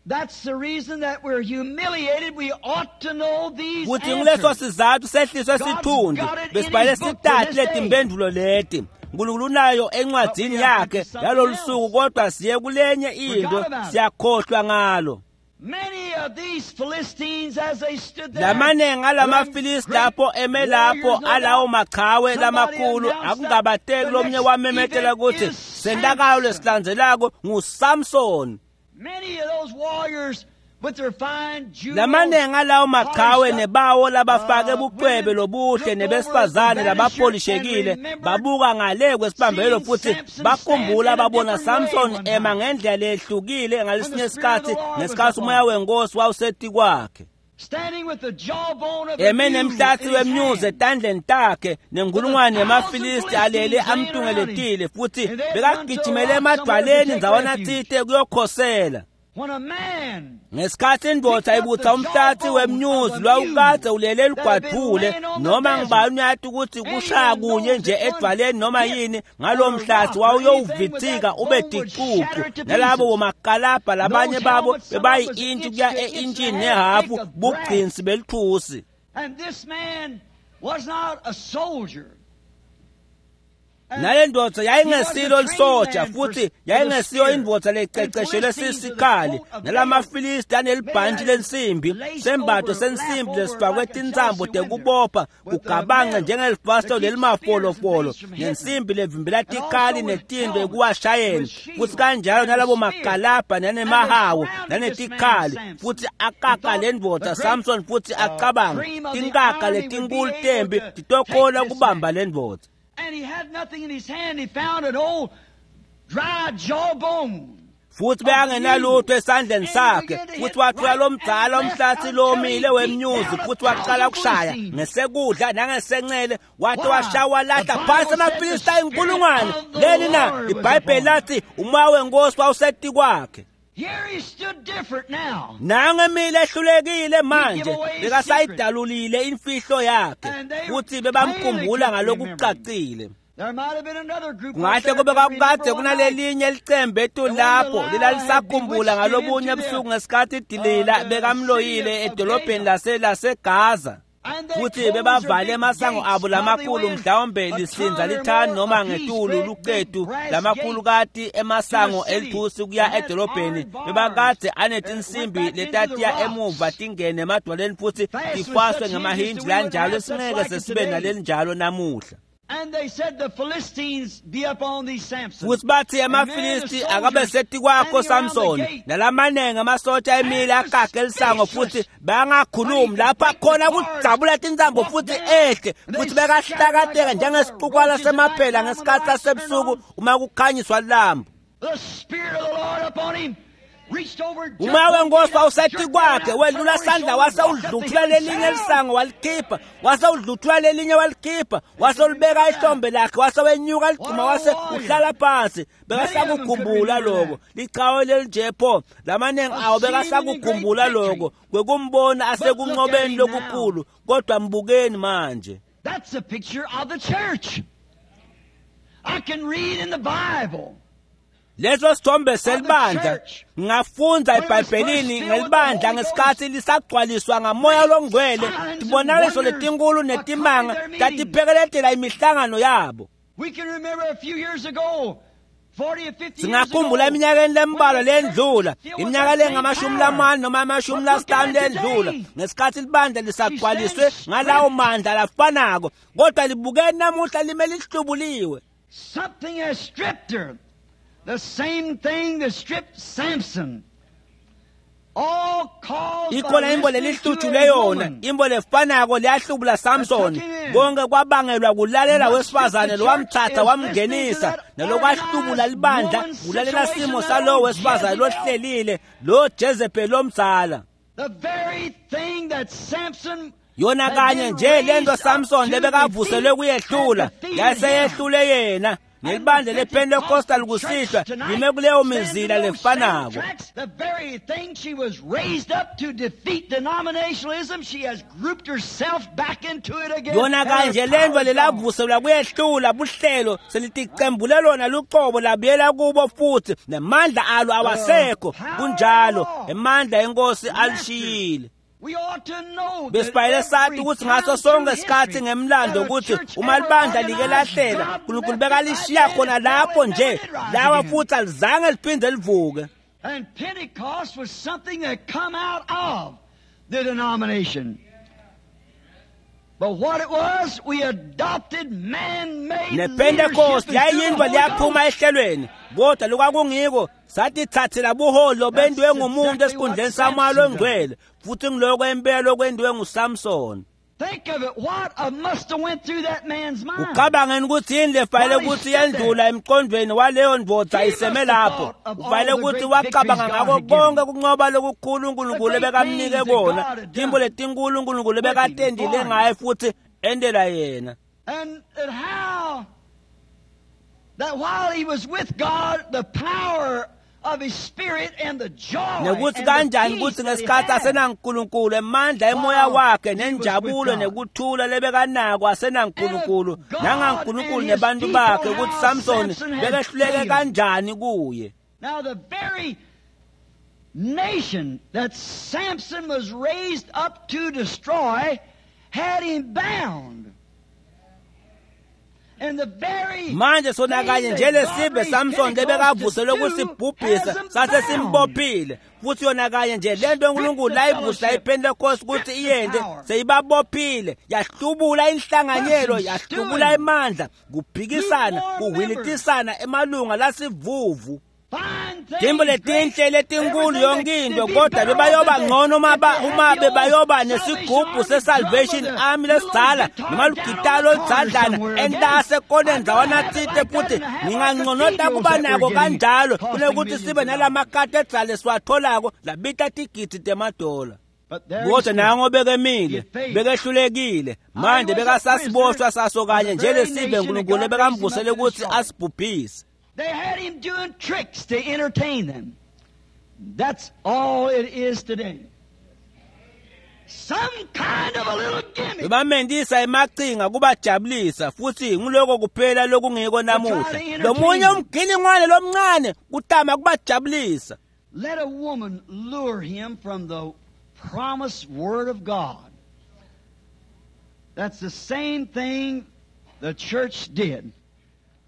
That's the reason that we're humiliated. We ought to know these Kuthi ngileso answers. sizathu sehliswe sithunti, besibhale sitati letimpendulo leti. Nkulunkulu unayo encwadzini yakhe yalolu suku, kodwa siye kulenye into siyakhohlwa ngalo. Many of these Philistines, as they stood there, Lamanengi alamafilisti lapho eme lapho alawo machawe lamakhulu, akungabateki lomnye wamemetela ukuthi sentakalo lesilandzelako nguSamson. many of those warriors with their fine jewels, Lamanengi alawo machawe nebawo labafake bucwebe lobuhle nebesifazane labapolishekile babuka ngale kwesibambelo futhi bakhumbula babona Samson ema ngendlela lehlukile ngalesinye isikhathi ngesikhathi umoya wenkosi wawuseti kwakhe. standing with the jawbone of the Eme mule nemhlatsi in his wemnyuzi hand. etandleni takhe nenkulungwane yemafilisti alele amtungeletile futhi bekagijimele emadwaleni ndzawana tsite kuyokhosela. When a man Ngesikhathi indvodza ibutsa umhlatsi wemnyuzi lwawukadze ulele elugwadvule, noma ngibani uyati ukuthi kushaya kunye nje edvwaleni noma yini ngalowo mhlatsi wawuyowuvitsika ube ticucu. Nalabo bomakalabha labanye babo bebayi-intshi kuya e-intshini nehafu bugcinsi belithusi. And this man was not a soldier. And Nale ndvodza yayingesilo lisoja futhi yayingesiyo indvodza lececeshelwe sisikhali. Nalamafilisti anelibhantshi lensimbi, sembatho sensimbi lesifakwe tintsambo tekubopha kugabange njengelifasitelo lelimafolofolo, nensimbi levimbela tikhali netinto ekuwashayeni, futhi kanjalo nalabo makalabha nanemahawu nanetikhali. Futhi akaka le ndvodza Samson futhi acabanga tinkaka letinkulu tembi titokhona kubamba le ndvodza. And he had nothing in his hand. He found an old dry jawbone. Futhi bekangenalutho esandleni sakhe, futhi wathola lo mdzala umhlatsi lomile wemnyuzi, futhi waqala ukushaya ngesekudla nangesencele, wathi washaya walahla phansi amafilisti ayinkulungwane. Leni na? Ibhayibheli lathi umoya wenkosi wawuseti kwakhe. Here he stood different now. Nangemile ehlulekile manje bekasayidalulile imfihlo yakhe, futhi bebamkhumbula ngalokucacile. There might have been another group up Kungahle there kube that kwakukade remember one night. kunalelinye licembe etu lapho lelalisakhumbula ngalobunye ebusuku ngesikhathi iDelila bekamloyile edolobheni laseGaza. And they Futhi closed their bebavale big emasango gates, abo lamakhulu, probably mhlawumbe a lisinza ton or lithani more noma apiece, ngetulu great big lucetu brass lamakhulu gates kati emasango to the city. elithusi kuya And had edolobheni. iron bars Bebakade that anetinsimbi went back into the letatiya rocks. emuva tingene emadwaleni futhi Fast with tifaswe such hinges ngemahinji that we wouldn't lanjalo have such singeke like it sesibe today. nalelinjalo namuhla. And they said the Philistines be upon thee, Samson. Futhi bathi emafilisti akabe seti kwakho Samson, nalamanengi amasotsha emile akage lisango futhi bangakhulumi lapha khona kujabula tintsambo futhi ehle futhi bekahlakateka njengesixukwala semaphela ngesikhathi sasebusuku uma kukhanyiswa lambu. The Spirit of the Lord upon him reached over jerked Umoya one wenkosi gate up, wawusethi jerked kwakhe it out, wedlula put it sandla over his wase shoulder, walked up the udluthula hill lelinye himself. lisango walikhipha, wase udluthula lelinye walikhipha, wase ulibeka ihlombe lakhe, wase wenyuka ligcuma wase uhlala phansi. Bekasakukhumbula lokho lichawe lelinje pho lamaningi awo bekasakukhumbula lokho kwekumbona asekunqobeni lokukhulu, kodwa mbukeni manje. That's a picture of the church. I can read in the Bible. Leso sithombe selibandla ngafundza eBhayibhelini ngelibandla ngesikhathi lisagcwaliswa ngamoya longcwele, tibonakaliso letinkulu netimanga tatiphekeletela imihlangano yabo. We can remember a few years ago, 40 or 50 years Singakhumbula ago, eminyakeni lembalwa when the church lendlula, filled with iminyaka that same lengamashumi power. lamane noma amashumi But look at lasihlanu it lendlula, today. ngesikhathi libandla lisagcwaliswe She stands ngalawo stripped. mandla lafanako, kodwa libukeni namuhla lime lihlubuliwe. Something has stripped her. The same thing that stripped Samson. All caused by Ikhona imbo listening to lelihlutshulwe a yona, woman. imbo lefanako liyahlubula Samson. That took him in. Konke kwabangelwa kulalela What wesifazane stripped the lowamthatha church is wamngenisa, listening to that nalokwahlubula libandla organized kulalela woman simo situation, salowo that wesifazane old lohlelile, lo Jezebel lomdzala. The very thing that Samson Yona kanye nje lento Samson lebekavuselwe kuyehlula yaseyehlule yena nelibandla lePentecostal kusihlwa lime kuleyo mizila lefanako. The very thing she was raised up to defeat denominationalism, she has grouped herself back into it again. Yona kanje lento lelavuselwa kuyehlula buhlelo seliticembule lona luqobo labuyela kubo futhi nemandla alo awasekho. Kunjalo, emandla enkosi alishiyile. Besifanele sathi ukuthi ngaso sonke isikhathi ngemlando ukuthi uma libandla like lahlela uNkulunkulu bekalishiya khona lapho nje lawa futhi alizange liphinde livuke. And Pentecost was something that come out of the denomination. But what it was, we adopted man-made NePentecost yayindwa liyaphuma ehlelweni kodwa lokwakungiko satithathela buholo bendiwe ngumuntu esikhundleni samoya longcwele futhi ngiloko impela okwendiwe nguSamson. Think of it, what must have went through that man's mind. Ucabangeni ukuthi yini lefanele ukuthi yendlula emqondweni waleyo ndvodza iseme lapho. Ufanele ukuthi wacabanga ngako konke kunqoba lokukhulu uNkulunkulu bekamnike kona, timbo letinkulu uNkulunkulu bekatendile ngaye futhi endela yena. And how that while he was with God, the power of his spirit and the joy nekuthi kanjani ukuthi ngesikhathi asenaNkulunkulu emandla emoya wakhe nenjabulo nekuthula lebekanako asenaNkulunkulu nangaNkulunkulu nebantu bakhe ukuthi Samson bekehluleke kanjani kuye. Now the very nation that Samson was raised up to destroy had him bound. Manje sona kanye nje lesive Samson lebekavuselwe kusibhubhisa sase simbophile futhi yona kanye nje lento uNkulunkulu layivusa iPentecost ukuthi iyende seyibabophile yahlubula inhlanganyelo yahlubula imandla kuphikisana kuhwilitisana emalunga lasivuvu. Timbo letinhle letinkulu yonke into kodwa bebayoba ngcono uma bebayoba nesigubhu se-Salvation Army lesidzala noma lugitali oludzadlana entase kone ndzawana tsite futhi ngingangconota kuba nako kanjalo kunekuthi sibe nalama-cathedral lesiwatholako labita tigidi temadola. Kodwa nango bekemile bekehlulekile manje bekasasiboshwa saso kanye nje lesive uNkulunkulu bekamvusele ukuthi asibhubhise. They had him doing tricks to entertain them. That's all it is today. Some kind of a little gimmick. Bamendisa emaqhinga kubajabulisa futhi ngiloko kuphela lokungiko namuhla. Lomunye umginingwane lomncane kutama kubajabulisa. Let a woman lure him from the promised word of God. That's the same thing the church did.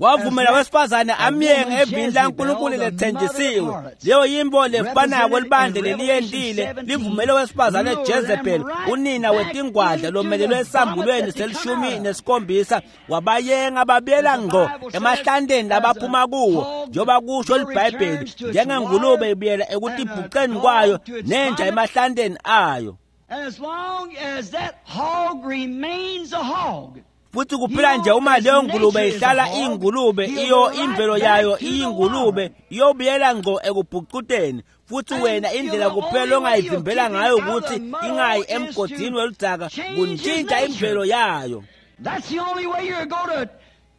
Wavumela wesifazane amyenge evini laNkulunkulu lethenjisiwe. Leyo yimbo lefanako libandla leliyendile livumele wesifazane Jezebel unina wetingwadla lomelelwe esambulweni se-17 wabayenga babuyela ngqo emahlanteni labaphuma kuwo njengoba kusho liBhayibheli njengengulube ibuyela ekutibhuqeni kwayo nenja emahlanteni ayo. As long as that hog remains a hog. Futhi kuphela nje uma leyo ngulube ihlala ingulube iyo imvelo yayo iyingulube iyobuyela ngqo ekubhucuteni futhi wena indlela kuphela ongayivimbela ngayo ukuthi ingayi emgodini weludzaka kuntshintsha imvelo yayo. That's the only way you're going to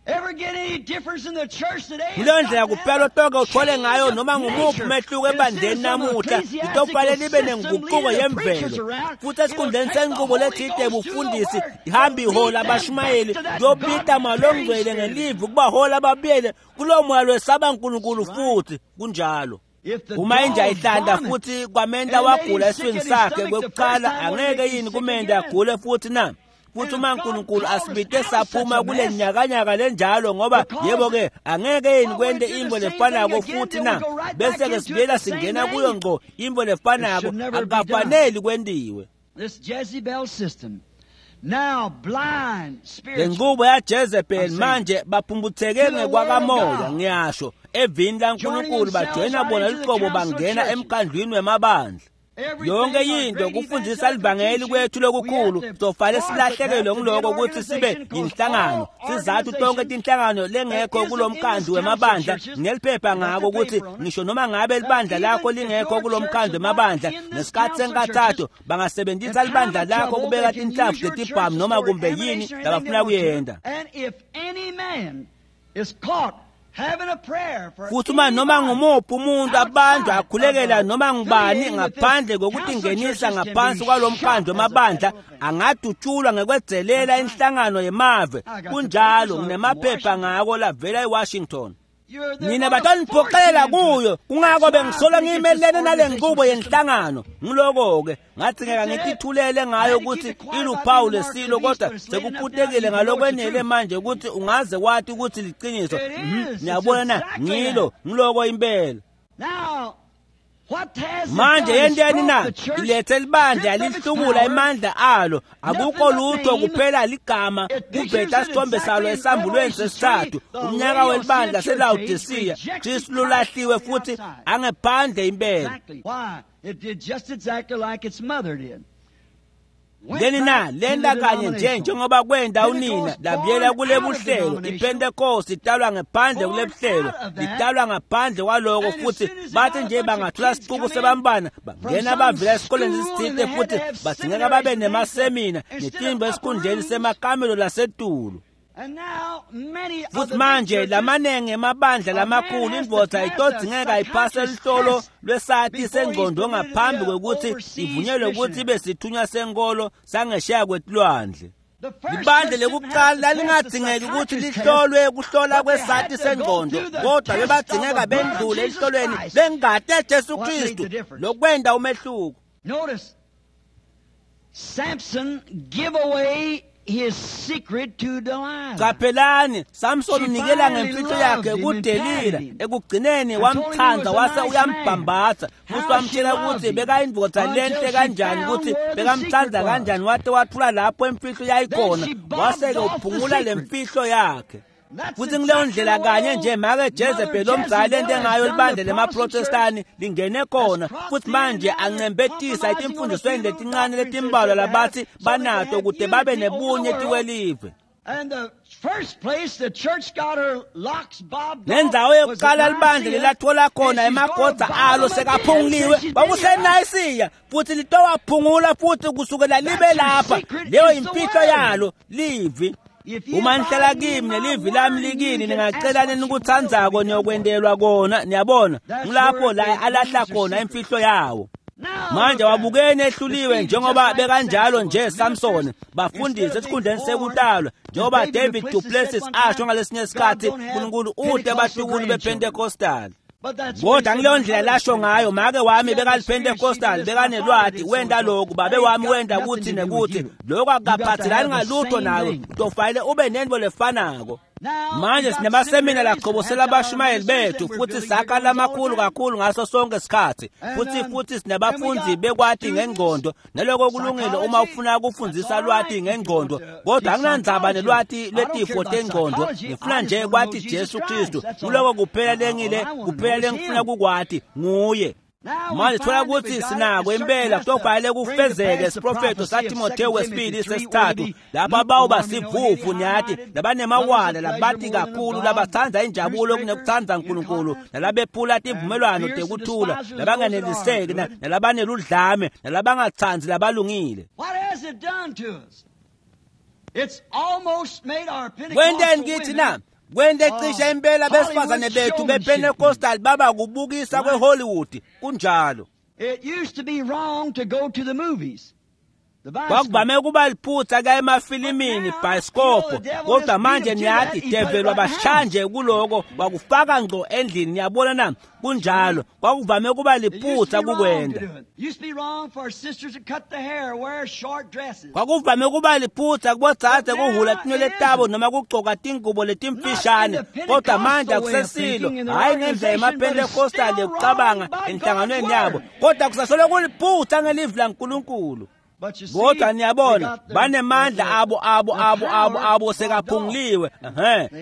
ever get any difference in the church today. Kuleyo ndlela kuphela otoke uthole ngayo noma ngumuphi umehluko ebandleni namuhla litokufanele libe nenguquko yemvelo futhi esikhundleni senqubo lethide ebufundisi ihambe ihola abashumayeli kuyobita malongcwele ngelivi ukubahola ababuyele kulowo moya lwesaba uNkulunkulu futhi kunjalo. Uma inja ihlanda futhi kwamenta wagula esiswini sakhe kwekuqala angeke yini kumenta agule futhi na? Futhi uma uNkulunkulu asibite saphuma kule nyakanyaka lenjalo ngoba yebo ke angeke yini kwente imbo lefanako futhi na bese ke sibuyela singena kuyo ngqo imbo lefanako akukafaneli kwentiwe. This Jezebel system now blind spiritual. Lenqubo ya Jezebel manje baphumbutheke ngekwakamoya ngiyasho evini laNkulunkulu bajoyina bona liqobo bangena emkhandlwini wemabandla. Yonke into kufundzisa livangeli kwethu lokukhulu sofale silahlekelwe ngiloko ukuthi sibe yinhlangano. Sizathu tonke tinhlangano lengekho kulomkhandlu wemabandla ngeliphepha ngako ukuthi ngisho noma ngabe libandla lakho lingekho kulomkhandlu wemabandla ngesikhathi senkathatho bangasebenzisa libandla lakho kubeka tinhlavu tetibhamu noma kumbe yini labafuna kuyenda. Futhi uma noma ngumuphi umuntu abantu akhulekela noma ngubani ngaphandle kokutingenisa ngaphansi kwalomkhandlu wemabandla angadutshulwa ngekwedzelela inhlangano yemave. Kunjalo, nginemaphepha ngako lavela eWashington. Nina bataniphoqelela kuyo, kungako bengisola ngiyimelene nale nqubo yenhlangano. Ngiloko-ke ngathi ngeke ngitithulele ngayo ukuthi iluphawu lesilo, kodwa sekuphutekile ngalokwenele manje ukuthi ungaze wathi ukuthi liqiniso. Niyabona na, ngilo ngiloko impela. Manje yenteni na? Ilethe libandla lihlubula emandla alo, akukho lutho kuphela ligama kuveta isithombe salo esambulweni sesithathu, umnyaka welibandla seLawodisiya. Kristu lolahliwe futhi angephandle impela. Leni na lenta kanye nje njengoba kwenda unina labuyela kule buhlelo. IPentecost italwa ngaphandle kule buhlelo, italwa ngaphandle kwaloko, futhi bathi nje bangathola sicuku sebambana bangena bavela esikoleni esithile futhi badingeka babe nemasemina netimbo esikhundleni semakamelo lasetulu. Futhi manje lamanenge emabandla lamakhulu indvodza itodzingeka iphase lihlolo lwesati sengqondo ngaphambi kwekuthi ivunyelwe ukuthi ibe sithunywa senkolo sangesheya kwetilwandle. Libandla lekuqala lalingadingeki ukuthi lihlolwe kuhlola kwesati sengqondo, kodwa bebadzingeka bendlule elihlolweni lengati Jesu Kristu lokwenda umehluko. Notice Samson give away his secret to Delilah. Qaphelani, Samson unikela ngemfihlo yakhe kuDelila. Ekugcineni wamthanda wase uyambhambatha futhi wamtshela ukuthi bekayindvodza lenhle kanjani, ukuthi bekamthanda kanjani, wate wathula lapho imfihlo yayikhona, wase-ke uphungula lemfihlo yakhe. Futhi ngileyo ndlela kanye nje make Jezebel omzali lento engayo libandla lemaProtestani lingene khona, futhi manje ancembetisa etimfundisweni letincane letimbalwa labathi banato ukuze babe nebunye tiwelive. Nendzawo yokuqala libandla lelathola khona emagoda alo sekaphunguliwe kwakuseNayisiya, futhi litowaphungula futhi kusukela libe lapha. Leyo imfihlo yalo livi. Uma nihlala kimi nelivi lami likini, ningacela nikutsandzako niyokwentelwa kona. Niyabona, ngulapho la alahla khona imfihlo yawo. Manje wabukeni ehluliwe njengoba bekanjalo nje Samson, bafundisi esikhundleni sekutalwa njengoba David du Plessis asho ngalesinye isikhathi, uNkulunkulu ude abahlukulu bePentecostal. Kodwa ngileyo ndlela lasho ngayo, make wami bekaliPentecostal, bekanelwati, wenda lokhu, babe wami wenda kuthi nekuthi, lokho akukaphathelani ngalutho nawe, utofanele ube nento lefanako. Manje sinemasemina laqhobosela abashumayeli bethu futhi sakha lamakhulu kakhulu ngaso sonke isikhathi, futhi sinabafundzi bekwati ngengqondo, naloko kulungile uma ufuna ukufundzisa lwati ngengqondo, kodwa anginandzaba nelwati lwetifo tengqondo, ngifuna nje kwati Jesu Kristu. Kuloko kuphela lengile, kuphela lengifuna kukwati nguye. Manje thola ukuthi sinako impela kutofanele kufezeke isiprofetho saTimotheo wesibili sesithathu, lapho abawuba sivuvu niyathi labanemawala labati kakhulu labatsandza injabulo kunekutsandza uNkulunkulu, nalabephula tivumelwano tekuthula, labanganeliseki nalabaneludlame nalabangatsandzi labalungile. Kwenteni kithi na? Kwente cishe impela besifazane bethu bePentecostal baba kubukisa kweHollywood. Kunjalo. It used to be wrong to go to the movies. Kwakuvame ukuba liphutha kuya emafilimini, bhayisikobho, kodwa manje niyathi develi wabashanje kuloko wakufaka ngqo endlini. Niyabona na? Kunjalo, kwakuvame ukuba liphutha kukwenda. Kwakuvame ukuba liphutha kubodzadze kuhhula tinwele tabo noma kugcoka tingubo letimfishane, kodwa manje akusesilo, hhayi ngendlela yemaPentecostal yekucabanga enhlanganweni yabo, kodwa kusasolo kuliphutha ngelivi laNkulunkulu. Kodwa niyabona banemandla abo abo abo abo abo sekaphunguliwe.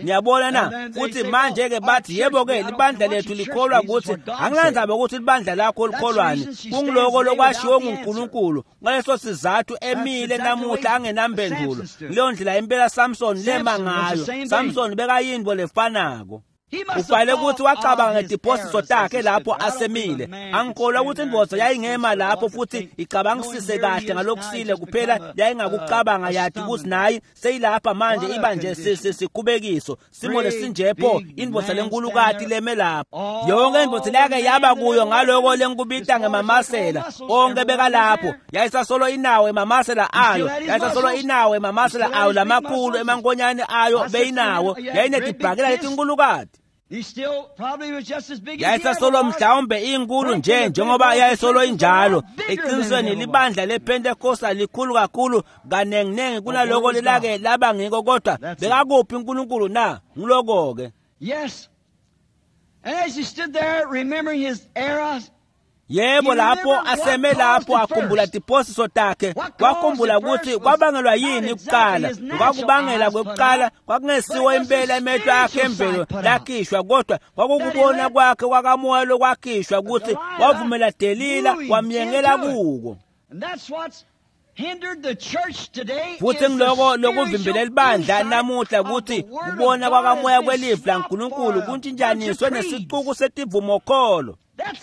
Niyabona na? Futhi manje ke bathi yebo ke libandla lethu likholwa ukuthi angilandzaba ukuthi libandla lakho likholwani, kungiloko lokwashiwo nguNkulunkulu. Ngaleso sizathu emile namuhla angenampendulo. Leyo ndlela impela Samson lema ngayo. Samson bekayinto lefanako. Ufanele ukuthi wacabanga ngetiphosiso takhe lapho asemile. Angikholwa ukuthi indvodza yayingema lapho futhi icabangisise kahle ngalokusile kuphela yayingakucabanga yathi ukuthi nayi seyilapha manje iba nje sikhubekiso simo lesinjepho indvodza lenkulukati leme lapho. Yonke indvodza leyake yaba kuyo ngaloko lenkubita ngemamasela onke bekalapho yayisasolo inawo emamasela ayo, yayisasolo inawo emamasela ayo lamakhulu emankonyane ayo beyinawo, yayinetibhakela letinkulukati. Yayisasolo mhlawumbe inkulu nje njengoba yayisolo injalo. Eqinisweni libandla lePentecostal likhulu kakhulu kanenginengi kunaloko lelake laba ngiko, kodwa bekakuphi uNkulunkulu na? Ngiloko ke. Yes. And as he stood there remembering his errors, Yebo, lapho aseme lapho akhumbula tiphosiso takhe, wakhumbula ukuthi kwabangelwa yini kuqala. Kwakubangela kwekuqala kwakungesiwo impela emehlo akhe emvelo lakhishwa, kodwa kwakukubona kwakhe kwakamoya lokwakhishwa ukuthi wavumela Delila wamyengela kuko. Futhi ngiloko lokuvimbela libandla namuhla ukuthi kubona kwakamoya kwelivi laNkulunkulu kuntshintshaniswe nesicuku setivumokholo.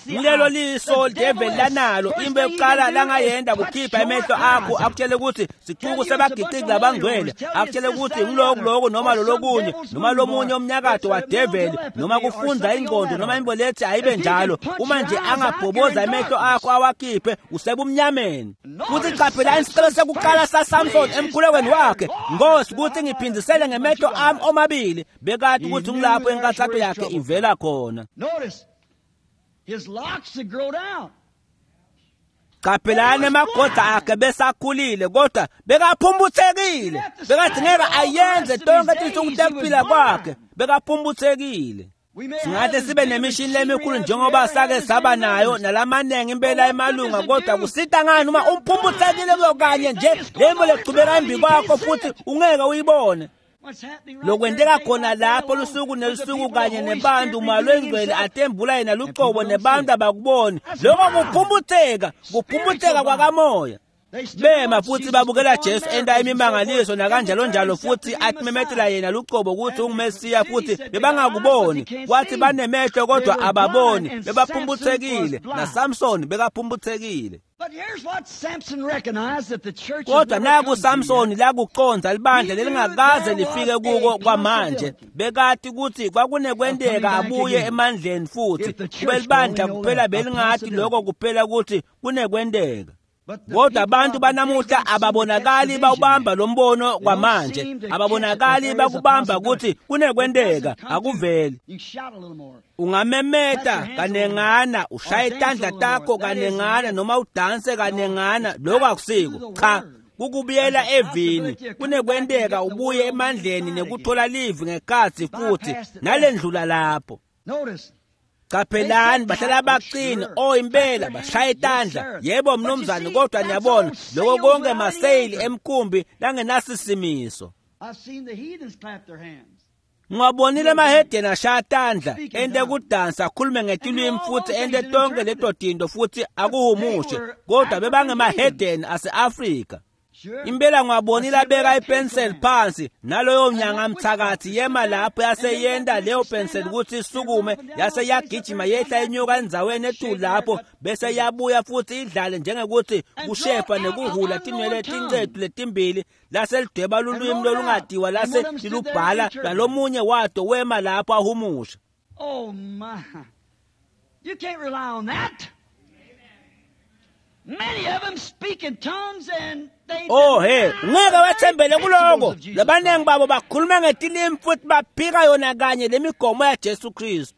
Ngilelo liso devil lanalo into yokuqala langayenda kukhipha emehlo akho akutshele ukuthi sicuku sebagiqiki labangcwele, akutshele ukuthi ngilokhu lokho noma lolokunye noma lomunye umnyakato wa devil noma kufunda ingqondo noma imbo lethi ayibe njalo. Uma nje angabhoboza emehlo akho awakhiphe usebumnyameni. Futhi qaphelani isicelo sekuqala saSamson emkhulekweni wakhe, Nkosi ukuthi ngiphindisele ngemehlo ami omabili. Bekade ukuthi ngilapho inkathazo yakhe ivela khona. His locks would grow down. Qaphelani emagoda akhe besakhulile, kodwa bekaphumbuthekile. Bekadingeka ayenze tonke tinsuku tekuphila kwakhe, bekaphumbuthekile. Singahle sibe nemishini lemikhulu njengoba sake saba nayo nalamanengi impela emalunga, kodwa kusita ngani uma umphumbuthekile kanye nje lembo lechubeka embi kwakho futhi ungeke uyibone. Lokwenteka khona lapho lusuku nelusuku kanye nebantu malwengcwele atembula yena lucobo nebantu abakuboni. Lokho kuphumbutheka, kuphumbutheka kwakamoya. Bema futhi babukela Jesu enta imimangaliso nakanjalo njalo, futhi atimemetela yena lucobo ukuthi unguMesiya, futhi bebangakuboni. Kwathi banemehlo kodwa ababoni, bebaphumbuthekile. NaSamson bekaphumbuthekile. Kodwa naku Samson lakuconza libandla lelingakaze lifike kuko kwamanje. Bekati ukuthi kwakunekwenteka abuye emandleni futhi kube libandla kuphela belingathi lokho kuphela ukuthi kunekwenteka. Kodwa abantu banamuhla ababonakali bawubamba lo mbono kwamanje, ababonakali bakubamba ukuthi kunekwenteka, akuveli. Ungamemeta kanengana, ushaye tandla takho kanengana noma udanse kanengana, lokho akusiko. Cha, kukubuyela evini, kunekwenteka ubuye emandleni nekuthola livi ngekhathi futhi nalendlula lapho. Qaphelani bahlala baqina, oh impela bashaya itandla, yebo mnumzane, kodwa niyabona lokho konke maseyili emkhumbi langenasisimiso. Ngiwabonile emahedeni ashaya tandla ente kudansa akhulume ngetilwimi futhi ente tonke leto tinto futhi akuhumushe, kodwa bebangemahedeni ase-Afrika. Impela ngiwabonile abeka ipenseli phansi naloyo nyanga mthakathi yema lapho yaseyenda leyo penseli ukuthi isukume, yase yagijima yehla inyuka endzaweni etulu lapho bese yabuya futhi idlale njengekuthi kushefa nekuhula tinwele tincetu letimbili, lase lidweba lulwimi lolungadiwa lase lilubhala nalomunye wato wema lapho ahumusha. Oh my, you can't rely on that. Many of them speak in tongues and they Oh hey, ngeke wethembele kuloko. Labanengi babo bakhuluma ngetilimi futhi baphika yona kanye lemigomo yaJesu Kristu.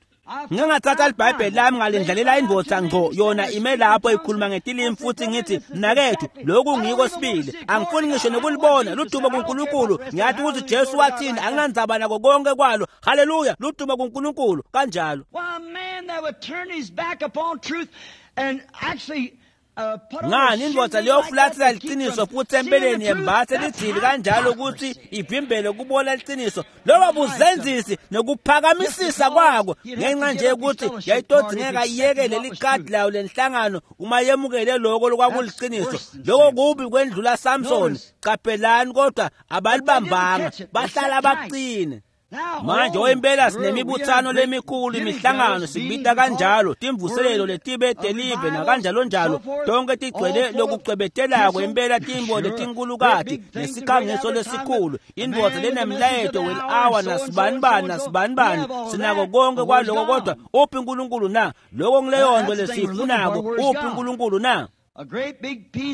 Ngingathatha iBhayibheli lami ngalindlalela indvodza ngqo yona ime lapho ikhuluma ngetilimi futhi ngithi mnakethu lokhu ngiko sibili, angifuni ngisho nokulibona ludumo kuNkulunkulu. Ngiyathi ukuthi Jesu wathini, anginandzaba nako konke kwalo. Haleluya, ludumo kuNkulunkulu kanjalo. Why, a man that would turn his back upon truth and actually Ngani indvodza leyofulathela liciniso futhi empeleni yembathe lidzili kanjalo ukuthi ivimbele kubona liciniso, loba buzenzisi nokuphakamisisa kwako ngenxa nje ukuthi yayitodingeka iyekele likhadi layo lenhlangano uma yemukele lokho lokwakuliciniso. Lokho kubi kwendlula Samson. Qaphelani, kodwa abalibambanga, bahlala baqine. Manje impela sinemibuthano lemikhulu, imihlangano sibita kanjalo, timvuselelo letibe delive nakanjalo njalo, tonke tigcwele lokucwebetelako impela, timbo letinkulukati nesikhangiso lesikhulu, indvodza lenemlayeto wel-hour nasibanibani nasibanibani, sinako konke kwaloko, kodwa uphi uNkulunkulu na? Lokho ngileyo nto lesiyifunako, uphi uNkulunkulu na?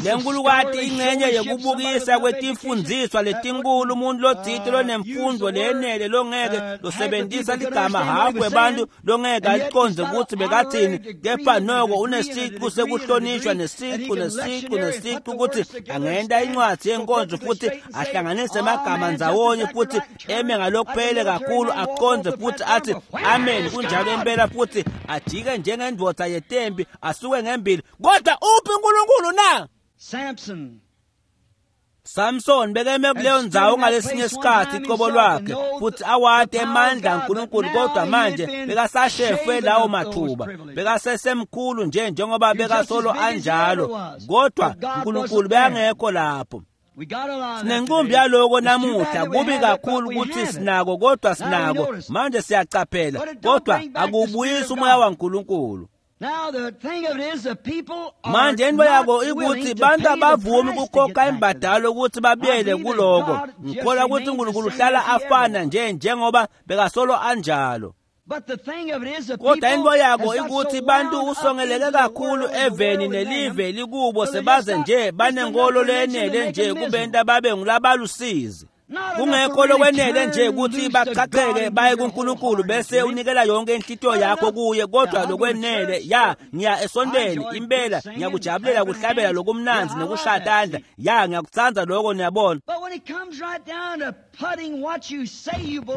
Lenkulukati ingcenye yekubukisa kwetimfundziswa letinkulu, umuntu lotsite lonemfundo leyenele longeke losebentisa ligama hafu webantu longeke alicondze kutsi bekathini, kepha noko unesicu sekuhlonishwa nesicu nesicu nesicu kutsi angenta incwadzi yenkonzo futhi ahlanganise emagama ndzawonye futhi eme ngalokuphele kakhulu acondze futhi athi amen kunjalo impela, futhi ajike njengendvodza yetempi asuke ngembili. Kodwa uphi uNkulunkulu na? Samson bekeme kuleyo ndzawo ngalesinye isikhathi icobo lwakhe futhi awati emandla aNkulunkulu, kodwa manje bekasashefwe lawo mathuba, bekasesemkhulu nje njengoba bekasolo anjalo, kodwa uNkulunkulu bekangekho lapho. Sinenkumbi yaloko namuhla, kubi kakhulu ukuthi sinako, kodwa sinako manje, siyacaphela, kodwa akubuyisi umoya waNkulunkulu. Manje into yako ikuthi bantu abavumi kukhokha imbadalo ukuthi babuyele kuloko. Ngikholwa ukuthi uNkulunkulu uhlala afana nje njengoba bekasolo anjalo. Kodwa into yako ikuthi bantu usongeleke kakhulu eveni nelive likubo, sebaze nje banenkolo leyenele nje kubenta babe ngulabalusizi, kungekho lokwenele nje ukuthi bachacheke baye kuNkulunkulu bese unikela yonke inhlitiyo yakho kuye, kodwa lokwenele ya ngiya esontweni impela, ngiyakujabulela kuhlabela lokumnandzi nekushaya tandla, ya ngiyakutsandza lokho, niyabona.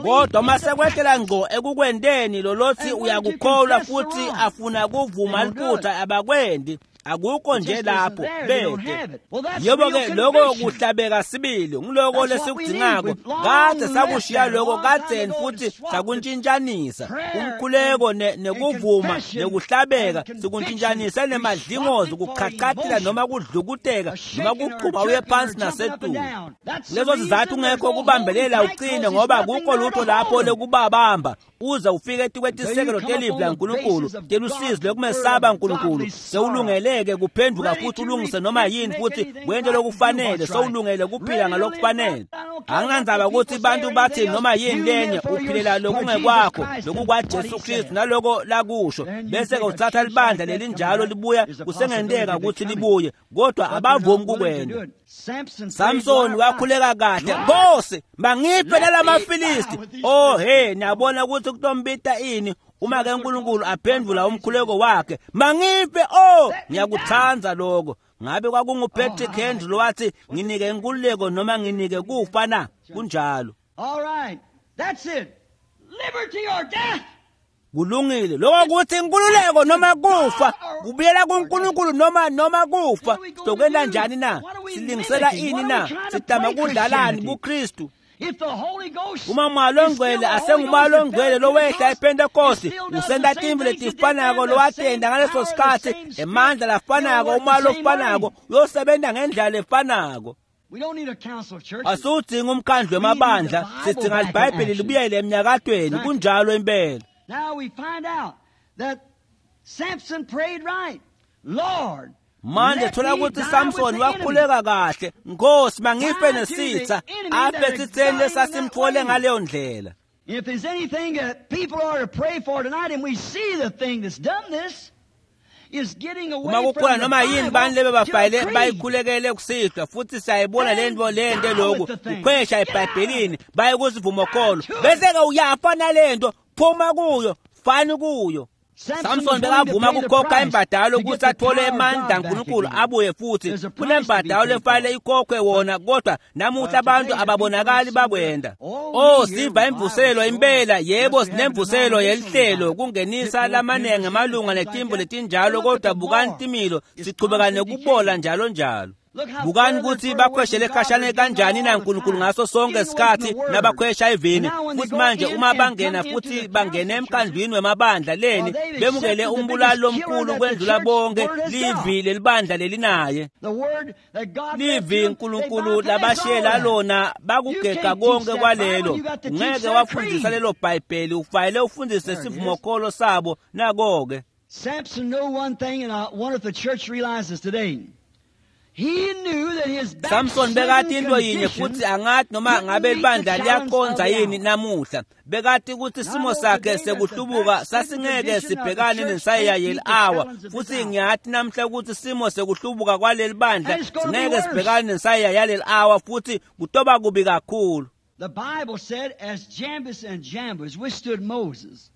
Kodwa uma sekwehlela ngco ekukwenteni lolothi uyakukholwa futhi afuna kuvuma liphutha, abakwendi, akukho nje lapho bede. Yebo-ke lokho kuhlabeka sibili, ngiloko lesikudzingako. Kade sakushiya lokho kadzeni futhi sakuntshintshanisa umkhuleko nekuvuma nekuhlabeka, sikuntshintshanise nemadlingozi, kuchachatela noma kudlukuteka noma kuqhuba uye phansi nasetulu. Lezo sizathu ungekho kubambelela uqine, ngoba akukho lutho lapho lekubabamba uze ufike etikwetisekelo telivi laNkulunkulu telusizi lokumesaba uNkulunkulu, sewulungeleke kuphenduka futhi ulungise noma yini futhi wente lokufanele, sewulungele kuphila ngalokufanele. Anginandzaba ukuthi bantu bathi noma yini lenye, uphilela lokungekwakho lokukwaJesu Kristu naloko lakusho, bese-ke uthatha libandla lelinjalo libuya, kusengenteka ukuthi libuye, kodwa abavumi kukwenta. Samson wakhuleka kahle, Nkosi mangiphe nalamaFilisti. Oh he, niyabona ukuthi kutombita ini uma ke uNkulunkulu aphendvula umkhuleko wakhe, mangiphe. Oh, ngiyakutsandza lokho. Ngabe kwakunguPatrick Henry lowathi nginike inkululeko noma nginike kufa na? Kunjalo. All right. That's it. Liberty or death. Kulungile lokho kuthi inkululeko noma kufa, kubuyela kuNkulunkulu noma kufa. Sizokwenta njani na? Silingisela ini na? Sidama kudlalani kuKristu? Uma umoya longcwele asengumoya longcwele lowehla ePentecost, usenta tintfo letifanako lowatenta ngaleso sikhatsi, emandla lafanako, umoya lofanako uyosebenza ngendlela lefanako. Asiwudzingi umkhandlu wemabandla, sidzinga liBhayibheli libuyele emnyakatweni. Kunjalo impela. Now we find out that Samson prayed right. Lord, manje thola ukuthi Samson wakhuleka kahle, Nkosi mangife nesitha, afe sitheni lesasimthole ngaleyo ndlela. If there's anything that people are to pray for tonight, and we see the thing that's done this, is getting away uma kukhona noma yini bani lebe bafayile bayikhulekele kusihlwa, futhi siyayibona lento lento lokhu ukhwesha eBhayibhelini baye kusivumokholo, bese-ke uyafa nalento, phuma kuyo, fani kuyo. Samson bekavuma kukhokha imbadalo ukuthi athole emandla aNkulunkulu abuye futhi. Kunembadalo lefanele ikhokhwe wona, kodwa namuhla abantu ababonakali bakwenda. Oh, siva imvuselelo impela, yebo sinemvuselelo yelihlelo kungenisa lamanengi amalunga netimbo letinjalo, kodwa bukani timilo sichubeka nekubola njalo njalo. Bukani ukuthi bakhweshele khashane kanjani naNkulunkulu ngaso sonke isikhathi nabakhwesha evini. Futhi manje uma bangena futhi bangena emkhandlwini wemabandla leni bemukele umbulali lomkhulu kwendlula bonke, livi lelibandla lelinaye. Livi uNkulunkulu labashiyela lona, bakugega konke kwalelo. Ngeke wafundisa lelo Bhayibheli, ufanele ufundise sivumokholo sabo nako-ke. Samson knew one thing, and I wonder if the church realizes today. Samson bekati into yinye futhi angathi noma ngabe libandla liyakonza yini namuhla. Bekati ukuthi simo sakhe sekuhlubuka sasingeke sibhekane nensayeya yeli-awa, futhi ngiyathi namhla ukuthi simo sekuhlubuka kwaleli bandla singeke sibhekane nensayeya yaleli awa, futhi kutoba kubi kakhulu. The Bible said as Jambres and Jambres withstood Moses.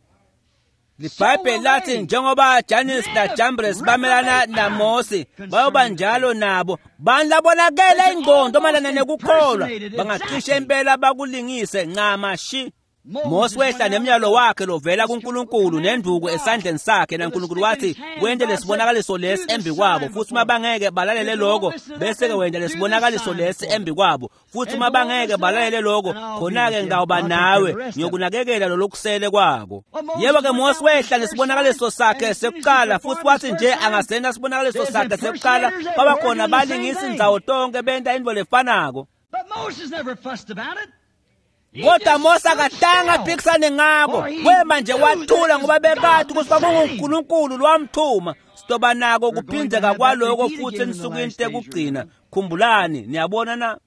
LiBhayibheli lathi njengoba Jannes na Jambres bamelana naMose, bayoba njalo nabo. Bani labonakele ingqondo mayelana nekukholwa, bangacishe impela bakulingise ncamashi. Mose wehla nemyalo wakhe lovela kuNkulunkulu nenduku esandleni sakhe, naNkulunkulu wathi wente lesibonakaliso lesi embi kwabo, futhi uma bangeke balalele lokho bese-ke wenta lesibonakaliso lesi embi kwabo, futhi uma bangeke balalele lokho khona-ke ngitawuba nawe ngiyokunakekela lolokusele kwako. Yebo-ke Mose wehla nesibonakaliso sakhe sekuqala, futhi wathi nje angasenda sibonakaliso sakhe sekuqala kwaba khona balingisa indzawo tonke benta intfo lefanako. But Moses never fussed about it. Kodwa Mose akatanga aphikisane ngako, wema nje wathula ngoba bekati ukuthi kwakunguNkulunkulu lwamthuma. Sitoba nako kuphindzeka kwaloko futhi ensukwini tekugcina. Khumbulani, niyabona na?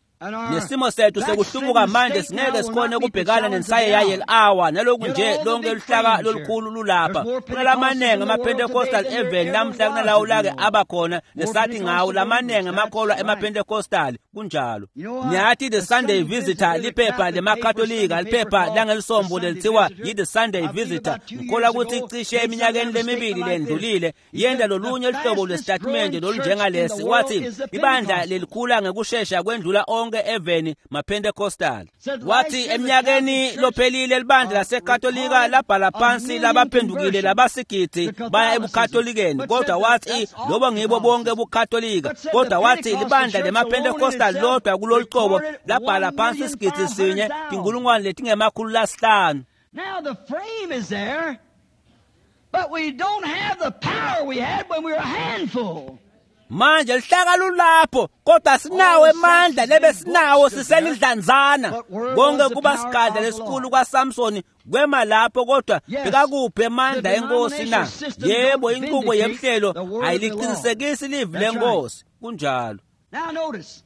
Nesimo sethu sekuhlubuka manje singeke sikhone ukubhekana nensayeya yeli-awa naloku nje lonke luhlaka lolukhulu lulapha. Kunalamanengi ama-Pentecostal eveni namhla kunalawo lake abakhona lesathi ngawo lamanengi amakholwa ema-Pentecostal kunjalo. Niyathi The Sunday Visitor liphepha lemaKatolika, liphepha langelisombo lelithiwa yi-The Sunday Visitor. Ngikholwa ukuthi cishe eminyakeni lemibili lendlulile yenda lolunye luhlobo lwesitatimende lolunjengalesi, wathi ibandla lelikhula ngekushesha kwendlula onke eveni maPentecostal. Wathi eminyakeni lophelile libandla laseKatolika labhala phansi labaphendukile labasigidi baya ebuKatolikeni, kodwa wathi lobo ngibo bonke buKatolika, kodwa wathi libandla lemaPentecostal lodwa kulolu qobo labhala phansi isigidi sinye tinkulungwane letingemakhulu lasihlanu. Now the frame is there, but we don't have the power we had when we were a handful. Manje lihlaka lulapho, kodwa sinawo emandla lebe sinawo siselidlanzana. Konke kuba sigadla lesikhulu kwaSamsoni kwema lapho, kodwa bekakuphi emandla enkosi na? Yebo, inqubo yemhlelo ayiliqinisekisi livi lenkosi. Kunjalo. Now notice.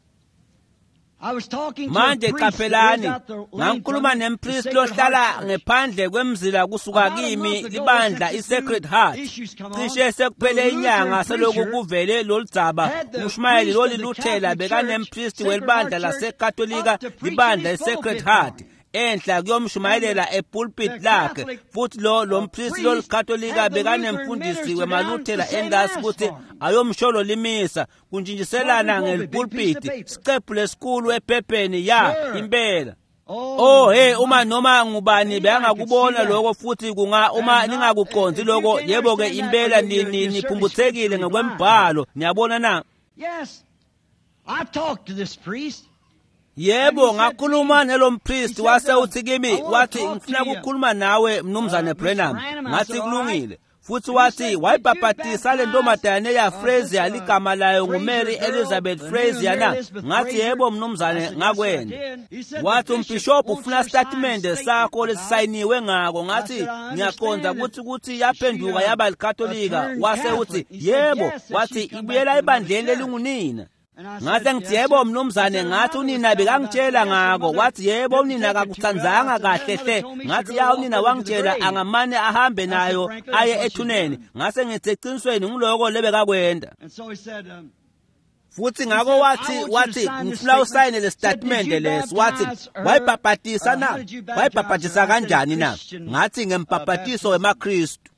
I was talking to Manje a priest that lives qaphelani, out the lane ngangikhuluma from the nempristi Sacred lohlala Heart Church. ngephandle kwemzila kusuka About a kimi month ago, libandla since this i-Sacred new Heart. issues come on, Cishe sekuphele the inyanga Lutheran seloku preacher kuvele loludzaba, had the umshumayeli priest of the loliluthela Catholic bekanempristi Church, welibandla Sacred Heart Church, laseKatolika up to preach in libandla his i-Sacred pulpit Heart for him. enhla kuyomshumayelela epulpit The lakhe. Catholic Futhi lo mpristi priest loliKatolika had the Lutheran bekanemfundisi minister wemaluthela down to say endasi mass ukuthi for him. ayomsholo limisa kuntshintshiselana Pulpit, big piece of ngelipulpiti paper. siqephu lesikhulu ephepheni ya Sure. impela. Oh, Oh hey, uma noma ngubani Anybody bengakubona could see that. lokho futhi kunga uma And not- ningakuqondi if you lokho, can't yebo ke understand that, impela you're niphumbuthekile certainly ngokwembhalo. Niyabona na? Yes. I talked to this priest. Yebo, ngakhuluma nelompristi wase uthi kimi, I wanna wathi talk to ngifuna you. ukukhuluma nawe mnumzane Mr. Branham. Branham, I Ngathi said, all kulungile. right. Futhi And he wathi said, did you wayibhabhatisa le baptize, ntombazane ya this, Frazier, ligama layo Frazier nguMary girl, Elizabeth the new Frazier Mary na? Elizabeth Ngathi Frazier? yebo I mnumzane, said, yes, I ngakwenda. did. He said, the Wathi bishop umbhishobhu wants ufuna your signed isitatimende statement sakho about it. lesisayiniwe ngako. I Ngathi said, I ngiyaqonda understand ukuthi that ukuthi she yaphenduka yaba likatolika. turned Wase Catholic. uthi He said, yebo, yes, that wathi she's come back ibuyela to the mother ebandleni church. lelingunina. And I Ngathi said, ngithi yes, yebo sir. mnumzane, He said, ngathi her mother was unina telling about bekangitshela it. Yes, her ngako. mother Wathi yebo didn't unina take it too well. I akakutsandzanga said, her kahle mother hle. told me she Ngathi drove ya off unina with her to the wangitshela grave. angamane ahambe I said, nayo frankly, aye that's what she's ethuneni. done. Ngase ngithi eqinisweni ngiloko lebekakwenda. And so he said, Futhi he ngako said, I wathi want you to wathi sign this ngifuna statement. usayine le Said, did statement you lesi. Wathi baptize her? wayibhabhatisa How na? did you baptize her? Wayibhabhatisa I said, kanjani na? Christian Ngathi ngembhabhatiso baptism. wemaKristu.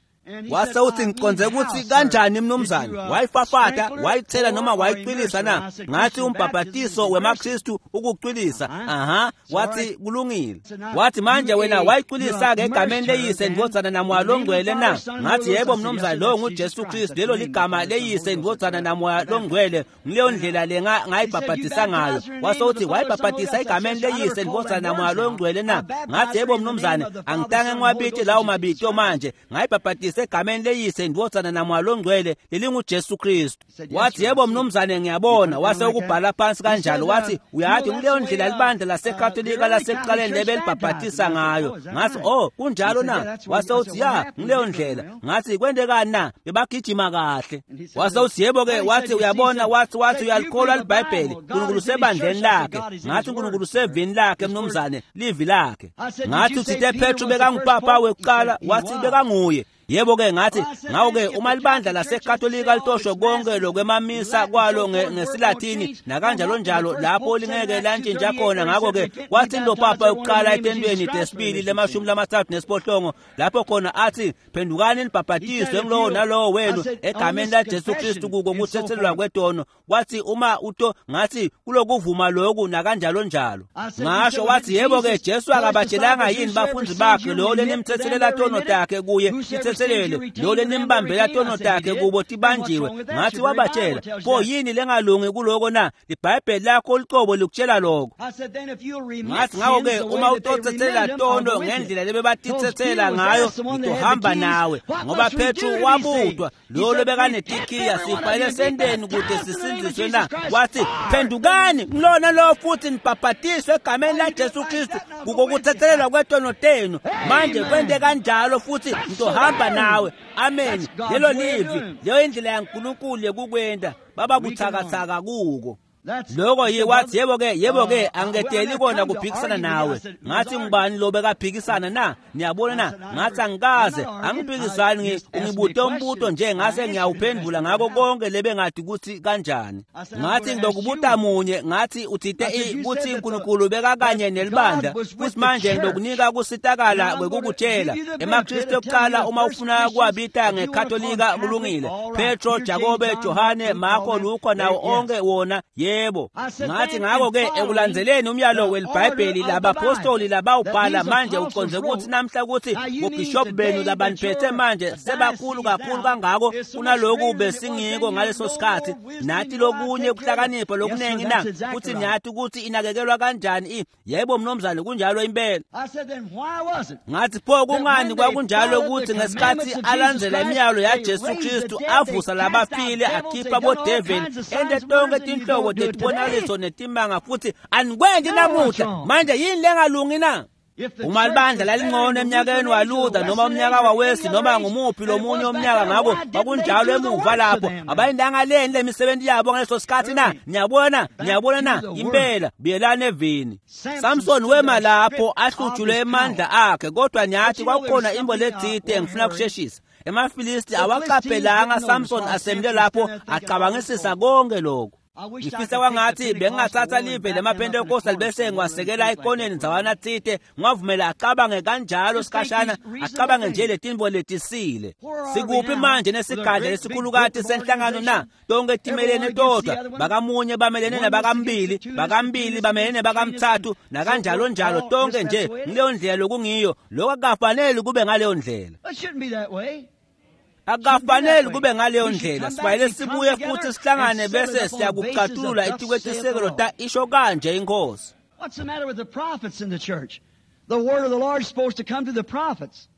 Wase uthi ngiconze ukuthi kanjani mnumzane, wayifafata, wayithela noma wayicwilisa na? Ngathi umbhabhatiso wemaKristu ukucwilisa. Aha, wathi kulungile. Wathi manje wena wayicwilisa-ke egameni leyise ndvodzana namoya longcwele na? Ngathi yebo mnumzane, lowo nguJesu Kristu, lelo ligama leyise ndvodzana namoya longcwele, ngileyo ndlela le ngayibhabhatisa ngayo. Wase uthi wayibhabhatisa egameni leyise ndvodzana namoya longcwele na? Ngathi yebo mnumzane, angitange ngiwabite lawo mabito manje, ngayibhabhatisa egameni leyise ndvodzana namoya longcwele lelinguJesu Kristu. Wathi yebo mnumzane, ngiyabona. Wase ukubhala phansi kanjalo. Wathi uyathi kuleyo ndlela libandla laseKatolika lasekuqaleni lebelibhabhatisa ngayo. Ngathi oh kunjalo na? Wase uthi ya, ngileyo ndlela. Ngathi kwentekani na? Bebagijima kahle. Wase uthi yebo ke. Wathi uyabona, wathi uyalikholwa liBhayibheli, uNkulunkulu sebandleni lakhe. Ngathi uNkulunkulu sevini lakhe mnumzane, livi lakhe. Ngathi uthite Petru bekangupapa wekuqala. Wathi bekanguye. Yebo ke. Ngathi ngawo-ke uma libandla laseKatolika litosho konke lokwemamisa kwalo ngesiLatini nakanjalo njalo lapho lingeke lantshintsha khona. Ngakho-ke wathi lo papa yokuqala etentweni desibili le-38 lapho khona athi phendukani nibhabhatiswe ngulowo nalowo wenu egameni laJesu Kristu kuko kuthethelelwa kwetono. Wathi uma uto, ngathi kulokuvuma lokhu nakanjalo njalo. Ngasho wathi yebo ke, Jesu akabatshelanga yini bafundi bakhe lo lenimthethelela tono takhe kuye tithethelele, lo lenimbambela tono takhe kubo tibanjiwe? Ngathi wabatshela. Pho yini lengalungi kuloko na? Libhayibheli lakho licobo likutshela lokho. Ngathi ngakho-ke uma utothethelela tono ngendlela lebebatithethela ngayo, ngitohamba nawe, ngoba Petru wabutwa lo lobekanetikiya, sifanele senteni kude sisindziswe na? Wathi phendukani ngilona lo futhi nibhabhatiswe egameni laJesu Kristu kuko kuthethelelwa kwetono tenu. Manje kwente kanjalo futhi ngitohamba nawe. Amen. Lelo livi, leyo indlela yaNkulunkulu yekukwenta. Baba buthakathaka kuko lokho yi. Wathi yebo ke, yebo ke, angiketeli kona kuphikisana nawe. Ngathi ngubani lo bekaphikisana na? Niyabona na? Ngathi angikaze angiphikisani, ungibute umbuto nje ngase ngiyawuphendula ngako konke lebengathi ukuthi kanjani. Ngathi ngilokubuta munye. Ngathi uthite ukuthi uNkulunkulu bekakanye nelibandla, futhi manje ngilokunika kusitakala kwekukutshela emaKristu ekuqala, uma ufuna kuwabita ngeKatolika kulungile, Petro, Jakobe, Johane, Marko, Luka nawo onke wona. Yebo. Ngathi ngakho-ke ekulandzeleni umyalo welibhayibheli labapostoli labawubhala, manje uconze ukuthi namhla ukuthi bobhishophu benu labaniphethe manje sebakhulu kakhulu kangako kunaloku besingiko ngaleso sikhathi, nathi lokunye kuhlakanipha lokuningi na, futhi niyathi ukuthi inakekelwa kanjani? Yebo mnumzane, kunjalo impela. Ngathi pho kungani kwakunjalo ukuthi ngesikhathi alandzela imiyalo yaJesu Kristu avusa labafile, akhipha bodeveli, ente tonke tinhlobo tetibonakaliso netimanga, futhi anikwendi namuhla? Manje yini lengalungi na? Uma libandla lalingcono eminyakeni waLuther noma umnyaka waWesley noma ngumuphi lomunye umnyaka, ngako kwakunjalo emuva lapho, abayindanga leni le misebenzi yabo ngaleso sikhathi na? Niyabona, niyabona na? Impela, buyelani evini. Samson wema lapho ahlutshulwe emandla akhe, kodwa niyathi kwakukhona imbo letsite. Ngifuna kusheshisa. EmaFilisti awaqaphelanga Samson asemile lapho acabangisisa konke lokho. Ngifisa kwangathi bengingathatha live lemaPentecostal bese ngiwasekela ekoneni ndzawana tsite, ngiwavumela acabange kanjalo sikhashana, acabange nje letinto letisile. Sikuphi manje nesigadla lesikhulukati senhlangano na? Tonke timelene todwa, bakamunye bamelene nabakambili, bakambili bamelene bakamthathu, nakanjalo njalo, tonke nje ngileyo ndlela lokungiyo. Lokho akukafaneli kube ngaleyo ndlela. Akukafaneli kube ngaleyo ndlela. Sifanele sibuye futhi sihlangane bese siyakucatulula etikwetisekelo ta isho kanje inkosi. What's the matter with the prophets in the church? The word of the Lord is supposed to come to the prophets.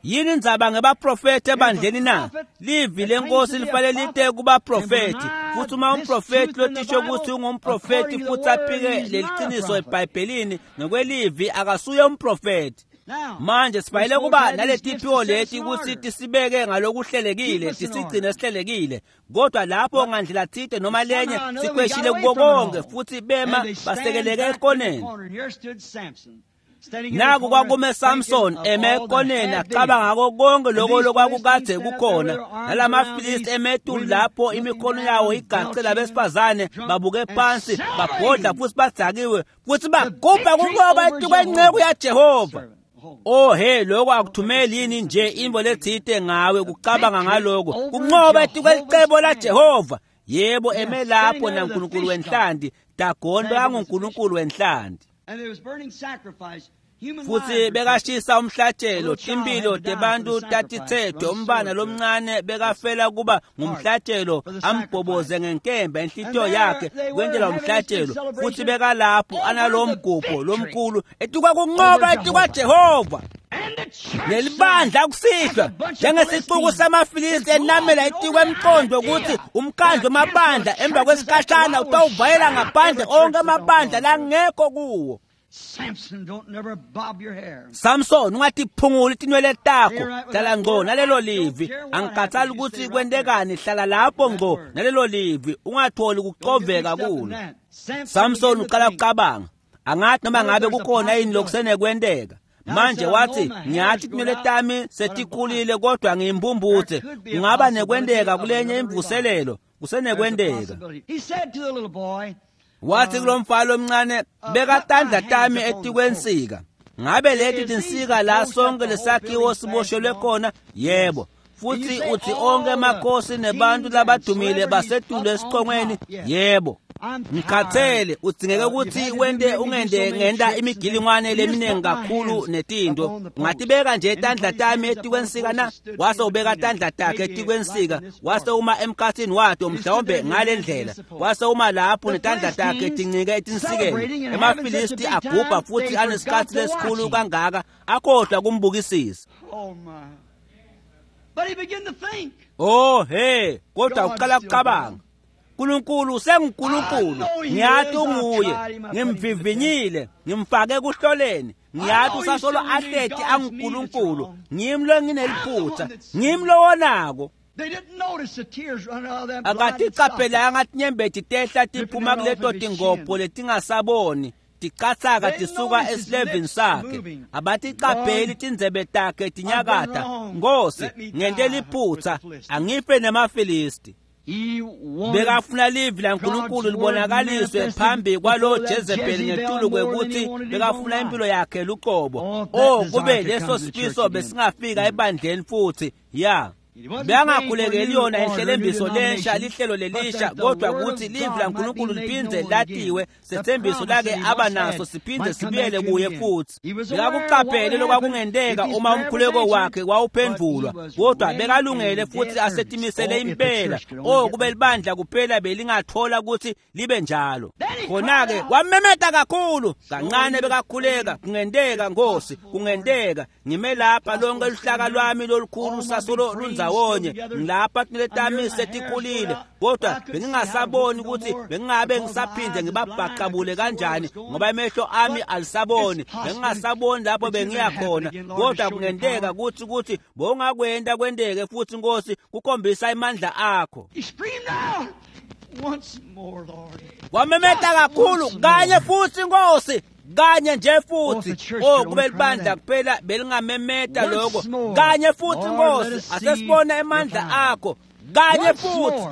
Yini indzaba ngebaprofethi ebandleni na? Livi lenkosi lifanele lite kubaprofethi, futhi uma umprofethi lotisho ukuthi ungumprofethi futhi aphike leliqiniso eBhayibhelini ngokwelivi, akasuye umprofethi. Manje sifanele kuba naletiphiwo leti ukuthi tisibeke ngalokuhlelekile, tisigcine sihlelekile, kodwa lapho ngandlela thide noma lenye sikweshile kuko konke futhi bema basekeleke ekoneni. Naku kwakume Samson eme ekoneni acabanga ngako konke lokho lokwakukade kukhona, nalamaFilisti emetulu lapho imikhono yawo igace labesifazane, babuke phansi, babhodla futhi badzakiwe, futhi bagubha kunqoba etikwenceku yaJehova. Oh he, lokho akuthumeli yini nje intfo letsite ngawe kucabanga ngaloko kunqoba etikwelicebo laJehova. Yebo, eme lapho naNkulunkulu wenhlanti. Dagoni bekanguNkulunkulu wenhlanti futhi bekashisa umhlatshelo. Timpilo tebantu tatitsethwe. Umbana lomncane bekafela kuba ngumhlatshelo, ambhoboze ngenkemba enhlitiyo yakhe kwentela umhlatshelo. Futhi bekalapho analowo mgubho lomkhulu etukwa kunqoba etukwa Jehova. Nelibandla kusihlwa njengesixuku samaFilisti enamela etikwe emqondo ukuthi umkhandlu wamabandla emva kwesikhashana utawuvayela ngaphandle onke amabandla langekho kuwo. Samson, ungatiphunguli tinwele takho, hlala ngco nalelo livi. Angikhathali ukuthi kwentekani, hlala lapho ngco nalelo livi, ungatholi kucoveka kulo. Samson uqala kucabanga, angathi noma ngabe kukhona yini lokusenekwenteka. Manje wathi, ngiyathi tinwele tami setikhulile kodwa ngiyimpumputhe. Kungaba nekwenteka kulenye imvuselelo, kusenekwenteka. Wathi kulomfana lomncane, beka tandla tami etikwensika. Ngabe leti tinsika la sonke lesakhiwo siboshelwe khona? Yebo. Futhi uthi onke amakhosi nebantu labadumile basetulu esiqongweni? Yebo. Ngikhathele, udzingeke ukuthi wente ungende ngenta imigilingwane leminingi kakhulu netinto. Ungatibeka nje tandla tami etikwensika na? Wase ubeka tandla takhe etikwensika, wase uma emkhathini wato mhlawumbe ngale ndlela. Wase uma lapho netandla takhe tincike etinsikeni. EmaFilisti agubha futhi anesikhathi lesikhulu kangaka, akhohlwa kumbukisisa. Oh he, kodwa uqala kucabanga. uNkulunkulu senguNkulunkulu, ngiyathi unguye, ngimvivinyile, ngimfake kuhloleni, ngiyathi usasolo ahleti anguNkulunkulu, ngimi lo ngineliphutha, ngimi lo wonako. Akatiqaphelanga tinyembeti tehla tiphuma kuleto tingopho letingasaboni ticatsaka tisuka esilevini sakhe. Abatiqapheli tindzebe takhe tinyakata. Nkosi, ngente liphutha, angife nemaFilisti. Bekafuna livi laNkulunkulu libonakaliswe phambi kwalo Jezebeli ngetulu kwekuthi bekafuna impilo yakhe luqobo. Oh, kube leso sifiso besingafika ebandleni futhi. Ya, bekangakhulekeli yona inhlelembiso lensha, lihlelo lelisha, kodwa ukuthi livi laNkulunkulu liphindze latiwe, sethembiso lake aba naso siphindze sibuyele kuye futhi. Bekakuqaphele lokwakungenteka uma umkhuleko wakhe wawuphendvulwa, kodwa bekalungele futhi asetimisele impela. Oh, kube libandla kuphela belingathola ukuthi libe njalo. Khona-ke wamemeta kakhulu kancane, bekakhuleka, kungenteka Nkosi, kungenteka ngime lapha lonke luhlaka lwami lolukhulu sasolo lundzawonye, ngilapha tinwele tami setikhulile, kodwa bengingasaboni ukuthi bengingabe ngisaphinde ngibabhaqabule kanjani, ngoba emehlo ami alisaboni, bengingasaboni lapho bengiya khona. Kodwa kungenteka ukuthi ukuthi bowungakwenta kwenteke futhi Nkosi, kukhombisa amandla akho. Wamemeta kakhulu kanye futhi Nkosi, kanye nje futhi. Oh, kube libandla kuphela belingamemeta lokho kanye futhi Nkosi, asesibone amandla akho kanye futhi.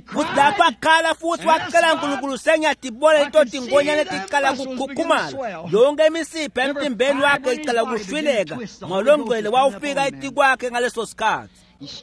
Futhi lapho akhala futhi wacela uNkulunkulu, sengiyatibona into tingonyane tiqala kukhukhumala, yonke imisipha emtimbeni wakhe iqala kushwileka, ngolongcwele wawufika etikwakhe ngaleso sikhathi.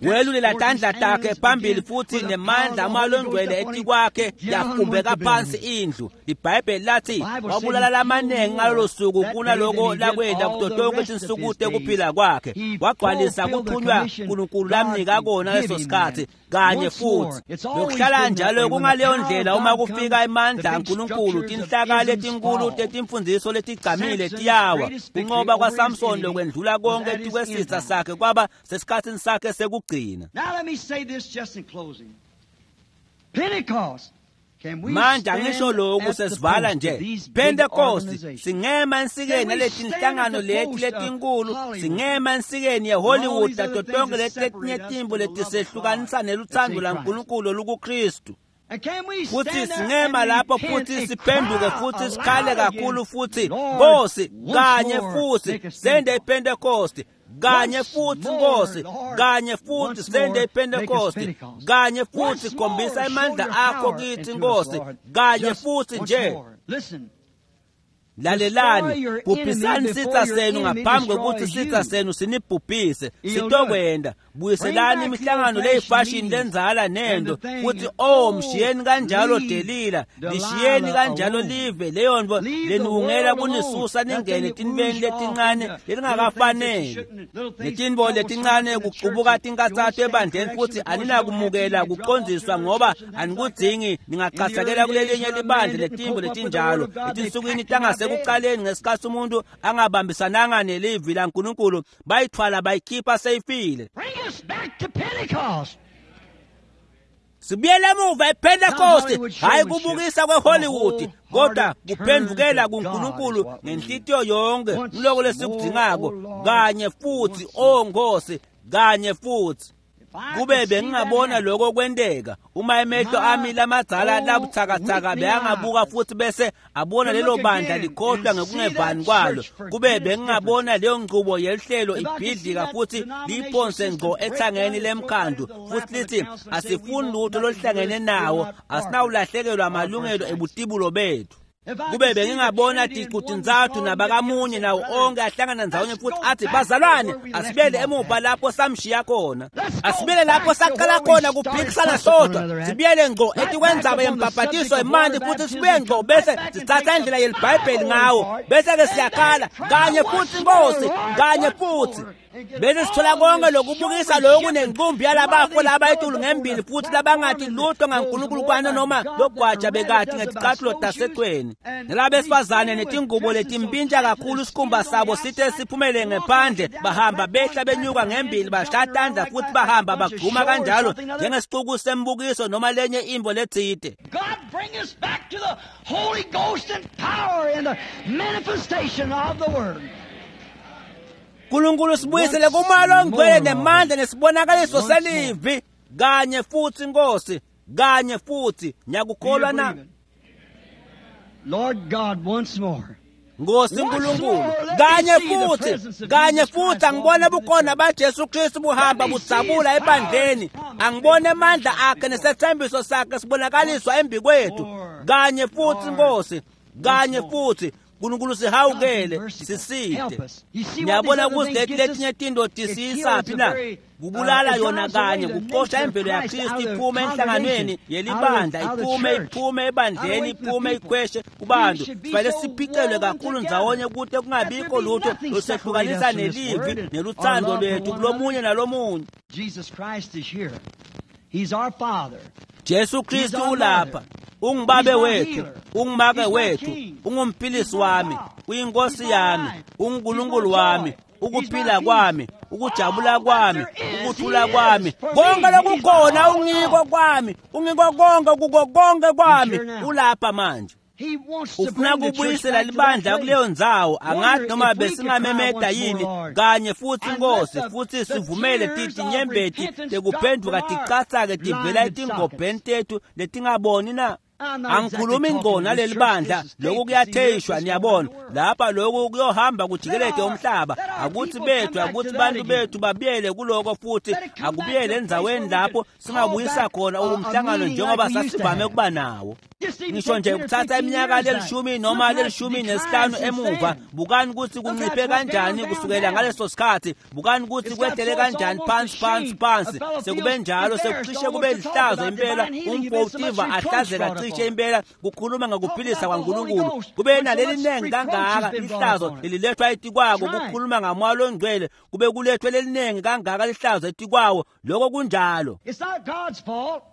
Welulela tandla takhe phambili futhi nemandla amalongcwele etikwakhe yafumbeka phansi indlu. IBhayibheli lathi wabulala lamaningi ngalolo suku kunaloko lakwenda kuto tonke tinsuku tekuphila kwakhe. Wagcwalisa kuthunywa uNkulunkulu lamnika kona leso sikhathi kanye futhi. Lokuhlala njalo kungaleyo ndlela uma kufika emandla aNkulunkulu, tinhlaka letinkulu tetimfundiso letigcamile tiyawa. Kunqoba kwaSamson lokwendlula konke etikwesitha sakhe kwaba sesikhatsini sakhe sekugcina. Manje angisho lokhu sesivala nje. Pentecost singema ensikeni naletinhlangano leti letinkulu, singema ensikeni yeHollywood nato tonke leti letinye timbo letisehlukanisa neluthando laNkulunkulu olukuKristu. Futhi singema lapho futhi siphenduke futhi sikhale kakhulu futhi Nkosi kanye futhi sende iPentecost kanye futhi Nkosi kanye futhi sende iPentecost kanye futhi khombisa amandla akho kithi Nkosi kanye futhi nje. Lalelani, bhubhisani sitsa senu ngaphambi kwekutsi sitsa senu sinibhubhise. Sitokwenda. Buyiselani imihlangano leyifashini lenzala nento futhi oh mshiyeni kanjalo Delila, lishiyeni kanjalo live leyo nto leniwungela kunisusa ningene tinibeni letincane lelingakafaneli. Letintfo letincane kucubuka tinkatsato ebandleni futhi aninakumukela kucondziswa ngoba anikudzingi, ningachasakela kulelinye libandla letintfo letinjalo. Etinsukwini tangasekucaleni ngesikhatsi umuntu angabambisananga nelivi laNkulunkulu, bayithwala bayikhipha seyifile. Bring us back to Pentecost. Sibuyele emuva ePentecost, hayi kubukisa kweHollywood, kodwa kuphendukela kuNkulunkulu ngenhlitiyo yonke. Ngiloko lesikudzingako kanye futhi, oh Nkosi, kanye futhi. Kube bengingabona lokho kwenteka, uma emehlo ami lamadzala labuthakathaka beyangabuka futhi bese abona lelo bandla likhohlwa ngekungevani kwalo, kube bengingabona leyo nqubo yelihlelo ibhidlika futhi liyiphonse ngqo ethangeni lemkhandu futhi lithi asifuni lutho loluhlangene nawo, asinawulahlekelwa amalungelo ebutibulo bethu. Kube bengingabona ticutintsathu nabakamunye nawo onke ahlangana ndzawonye futhi athi bazalwane, asibuyele emuva lapho samshiya khona, asibuyele lapho saqala khona kuphikisana sodwa, sibuyele ngqo etikwendzaba yembhabhatiso emanti futhi sibuye ngqo bese sitsatsa indlela yelibhayibheli ngawo, bese-ke siyakhala kanye futhi Nkosi, kanye futhi. Bese sithola konke lokubukisa lokhu nenqumbi yalabafo labayitulu ngembili futhi labangathi lutho ngaNkulunkulu kwana noma logwaja bekati ngeticathulo tasecweni, nalabesifazane netingubo letimpintsha kakhulu sikhumba sabo sithe siphumele ngephandle, bahamba behla benyuka ngembili bashaya tandla futhi bahamba bagquma kanjalo njengesixuku sembukiso noma lenye imvo letsite. God bring us back to the Holy Ghost and power and the manifestation of the Word. Nkulunkulu sibuyisele kumoya longcwele nemandla nesibonakaliso selivi kanye futhi Nkosi, kanye futhi. Nyakukholwa na? Lord God, once more. Nkosi Nkulunkulu, kanye futhi, kanye futhi angibone bukhona baJesu Kristu buhamba budzabula ebandleni, angibone amandla akhe nesethembiso sakhe sibonakaliswa embi kwethu. Kanye futhi Nkosi, kanye futhi. Nkulunkulu sihawukele, siside. Ngiyabona ukuthi leti letinye tinto tisiyisaphi na? Kubulala yona kanye, kuxosha imvelo yaKristu iphume enhlanganweni yelibandla, iphume ebandleni, iphume ikhweshe kubantu. Sifanele siphicelwe kakhulu ndzawonye kute kungabikho lutho lusehlukanisa nelivi neluthando lwethu kulomunye nalomunye. Jesus Christ is here. He's our Father. Jesu Kristu ulapha, ungubabe wethu, ungumake wethu, ungumphilisi wami, uyinkosi yami, unguNkulunkulu wami, ukuphila kwami, ukujabula kwami, ukuthula kwami, konke lokukhona ungiko kwami, ungiko konke kuko konke kwami, ulapha manje. Ufuna kubuyisela libandla kuleyo ndzawo, angathi noma besingamemeta yini kanye futhi Nkosi, futhi sivumele tinyembeti tekuphenduka ticatsake tivela etingobheni tethu letingaboni na? Angikhulumi ngqo naleli bandla, lokhu kuyatheyishwa, niyabona lapha lokhu kuyohamba kujikelede umhlaba. Akuthi bethu, akuthi bantu bethu babuyele kuloko futhi akubuyele endzaweni lapho singabuyisa khona umhlangano njengoba sasivame kuba nawo. Ngisho nje kuthatha iminyaka lelishumi noma lelishumi nesihlanu emuva, bukani ukuthi kunciphe kanjani kusukela ngaleso sikhathi, bukani ukuthi kwehlele kanjani phansi phansi phansi. Sekube njalo, sekucishe kube lihlazo impela, umfo ahlazeka cishe impela kukhuluma ngokuphilisa kwaNkulunkulu. Kube naleli ningi kangaka lihlazo lelilethwa etikwako kukhuluma ngamoya longcwele, kube kulethwe leliningi kangaka lihlazo etikwawo. Lokho kunjalo. It's not God's fault.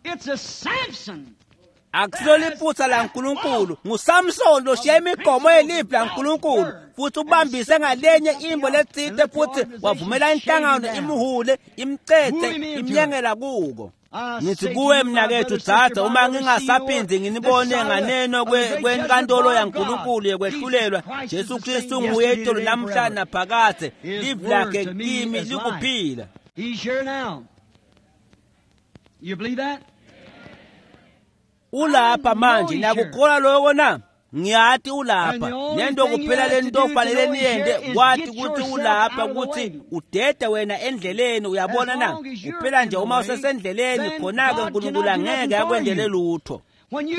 It's a Samson. Akusilo liphutha laNkulunkulu, nguSamson loshiya imigomo yelivi laNkulunkulu futhi ubambise ngalenye imbo letsite futhi wavumela inhlangano imhule, imcethe, imnyengela kuko. Ngithi kuwe mnakethu dzadze, uma ngingasaphindi nginibone nganeno kwenkantolo yaNkulunkulu yekwehlulelwa, Jesu Kristu nguye itolo namhla naphakadze, livi lakhe kimi likuphila. He's here now. You believe that? Ulapha manje, nakukholwa lokho na? Ngiyati ulapha. Nento kuphela lento ofanele niyente kwathi ukuthi ulapha, ukuthi udede wena endleleni, uyabona na? Kuphela nje uma usesendleleni, khona-ke uNkulunkulu angeke akwendele lutho.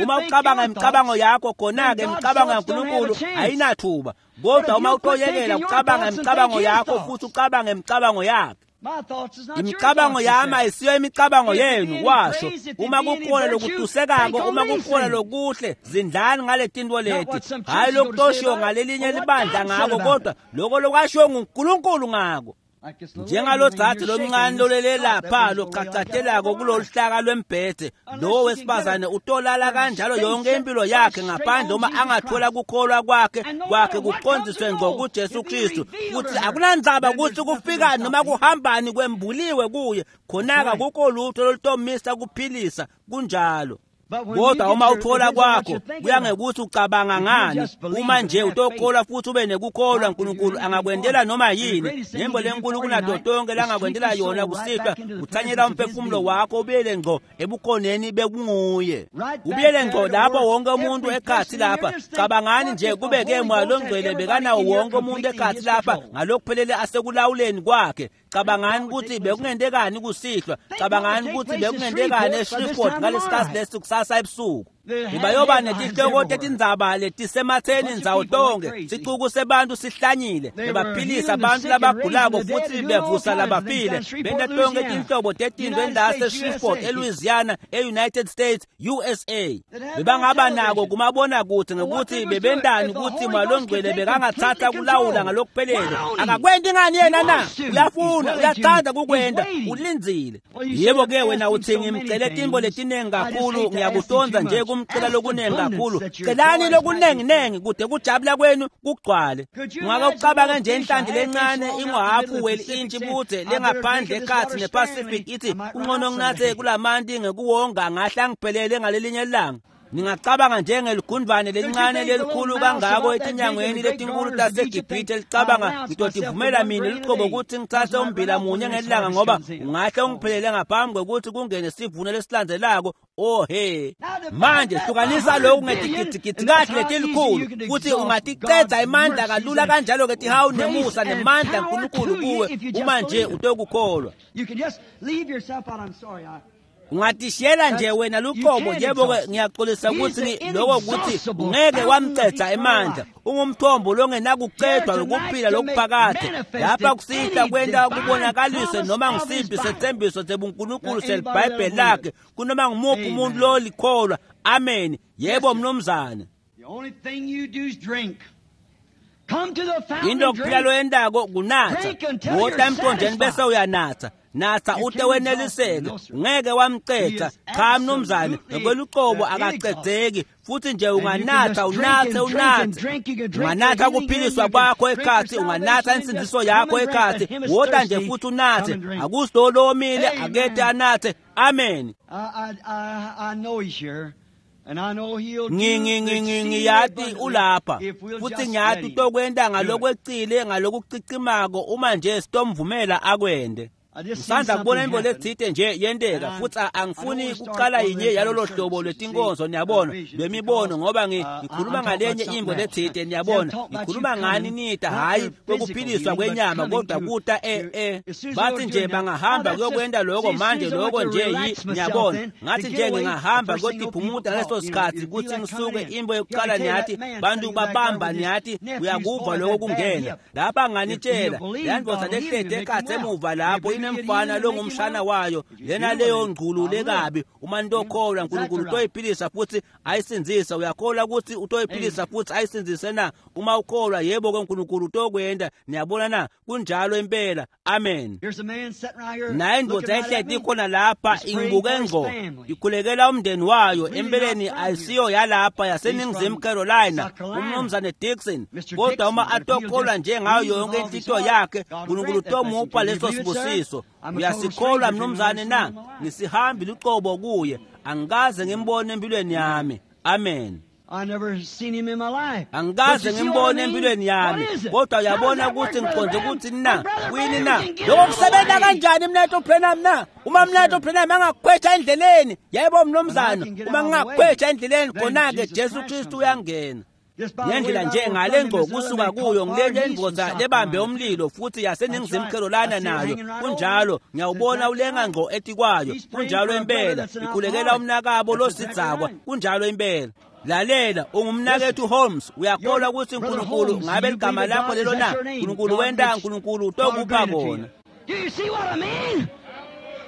Uma ucabanga imicabango yakho, khona-ke imicabango yaNkulunkulu ayinathuba. Kodwa uma utoyekela ucabanga imicabango yakho futhi ucabange imicabango yakhe, imicabango yami ayisiyo imicabango yenu, washo. Uma kukhona lokutusekako, uma kukhona lokuhle, zindlani ngale tinto leti, hhayi lokutoshiwo ngalelinye libandla ngako, kodwa loko lokwashiwo nguNkulunkulu ngako. Njengalo dzadze lomncane lolele lapha lochachatelako kulolu hlaka lwembhede, lowo wesifazane utolala kanjalo yonke impilo yakhe ngaphandle uma angathola kukholwa kwakhe kuqondiswe ngqo kuJesu Kristu. Futhi akunandzaba ukuthi kufikani noma kuhambani, kwembuliwe kuye, khona-ke akukho lutho lolutomisa kuphilisa. Kunjalo. Kodwa uma uthola kwakho, kuya ngekuthi ucabanga ngani. Uma nje utokholwa futhi ube nekukholwa, uNkulunkulu angakwendela noma yini. Nembo lenkulu kunato tonke langakwendela yona kusihlwa, kuthanyela umphefumulo wakho ubuyele ngqo ebukhoneni bekunguye, ubuyele ngqo lapho wonke umuntu ekhathi lapha. Cabangani nje kube-ke Moya Longcwele bekanawo wonke umuntu ekhathi lapha ngalokuphelele asekulawuleni kwakhe. Cabangani ukuthi bekungentekani kusihlwa. Cabangani ukuthi bekungentekani eShreveport ngalesikhathi lesi kusasa ebusuku. Bebayoba netihloko tetindzaba letisematheni ndzawo tonke. Sicuku sebantu sihlanyile, bebaphilisa abantu labagulako futhi bevusa labafile, benta tonke tinhlobo tetinto endase-Shreveport, eLouisiana, e-United States, USA. Bebangaba nako kumabonakude ngekuthi bebentani ukuthi Moya Longcwele bekangathatha kulawula ngalokuphelele. Akakwenti ngani yena na? Uyafuna, uyathanda kukwenta, ulindzile. Yebo-ke wena uthi ngimcele tintfo letiningi kakhulu, ngiyakutonza nje kumcela lokuningi kakhulu. Celani lokuningi-ningi kude kujabula kwenu kugcwale. Ungake ucabange nje inhlanti lencane inguhafu weli-intshi budze lengaphandle ekhatsi nePacific ithi kungcono nginathe kulamanti ngekuwonga, ngahle angiphelele ngalelinye ilanga. Ningacabanga njengeligundvane lelincane lelikhulu kangako etinyangweni letinkulu taseGibhithe licabanga, ngitotivumela mina lucobo ukuthi ngitsatse umbila munye ngelanga ngoba ungahle ungiphelele ngaphambi kwekuthi kungene sivuno lesilandzelako. Oh he, manje hlukanisa lokhu ngetigidigidi kahle letilikhulu futhi ungaticedza imandla kalula kanjalo-ke tihawu nemusa nemandla nkulunkulu kuwe uma nje utokukholwa. Ungatishiyela nje wena luqobo. Yebo-ke ngiyaxolisa ukuthi lokho kuthi ungeke wamcedza emandla. Ungumthombo longenakucedwa lokuphila lokuphakade. Lapha kusihlwa kwenta kubonakaliswe noma ngisiphi sethembiso sebuNkulunkulu seliBhayibheli lakhe kunoma ngumuphi umuntu lolikholwa. Amen. Yebo mnumzane. Into kuphela loyentako kunatsa. Wota emthonjeni bese uyanatsa. Natsa ute weneliseke, ungeke wamcedza. Cha mnumzane, ngokweluqobo akacedzeki. Futhi nje unganatha unathe unathe, unganatha kuphiliswa kwakho ekhathi, unganatha insindiso yakho ekhathi. Wota nje futhi unathe, akusilo lomile akete anathe. Amen. Ngiyati ulapha futhi ngiyati utokwenta ngalokwecile ngalokucicimako uma nje sitomvumela akwende. Ngisandla kubona intfo letsite nje yenteka futhi angifuni kucala yinye yalolo hlobo lwetinkonzo, niyabona, lwemibono, ngoba ngikhuluma ngalenye intfo letsite, niyabona. Ngikhuluma ngani nita, hhayi kwekuphiliswa kwenyama, kodwa kuta bathi nje bangahamba kuyokwenta loko manje, loko nje niyabona. Ngathi nje ngingahamba kuyotiphumuta ngaleso sikhatsi kutsi ngisuke intfo yokucala, niyathi bantu babamba, niyathi uyakuva loko kungena lapha. Nganitshela leyandvodza lehleti ekhatsi emuva lapho inemfana longumshana wayo, lena leyo ngculu lekabi. Uma nitokholwa uNkulunkulu utoyiphilisa futhi ayisindzise. Uyakholwa ukuthi utoyiphilisa futhi ayisindzise na? Uma ukholwa, yebo-ke uNkulunkulu utokwenta. Niyabona na? Kunjalo impela. Amen. Naye indvodza ehleti ikhona lapha ingibuke ngqo, ikhulekela umndeni wayo. Empeleni ayisiyo yalapha, yaseNingizimu Carolina, umnumzane Dixon. Kodwa uma atokholwa nje ngayo yonke inhlitiyo yakhe, uNkulunkulu utomupha leso sibusiso. Uyasikholwa mnumzane na? Ngisihambi lucobo kuye, angikaze ngimbone empilweni yami. Amen. Angikaze ngimbone empilweni yami, kodwa uyabona ukuthi ngiqonde ukuthi na kuyini na? Lokho kusebenza kanjani mnethu Branham na? Uma mnethu Branham angakukhwetha endleleni, yebo mnumzane, uma ngingakukhwetha endleleni, khona-ke Jesu Kristu uyangena. Ngendlela nje ngale ngco kusuka kuyo ngilenye indvodza lebambe umlilo futhi yaseNingizimu Carolina nayo kunjalo ngiyawubona ulenga ngco etikwayo kunjalo impela ikhulekela umnakabo losidzakwa kunjalo impela. Lalela ungumnakethu Holmes uyakholwa ukuthi uNkulunkulu ngabe ligama lakho lelo na uNkulunkulu wenta uNkulunkulu utokupha kona. Do you see what I mean?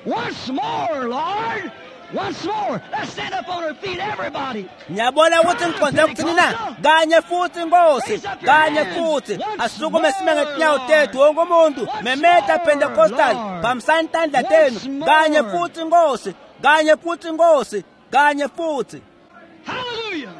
Once more, Lord. Once more. Let's stand up on our feet, everybody. Ngiyabona ukuthi ngiqonde ukuthini na kanye futhi Nkosi kanye futhi asukume sime ngetinyawo tethu wonke umuntu memeta Pentecostal phambisani tandla tenu kanye futhi Nkosi kanye futhi Nkosi kanye futhi. Hallelujah.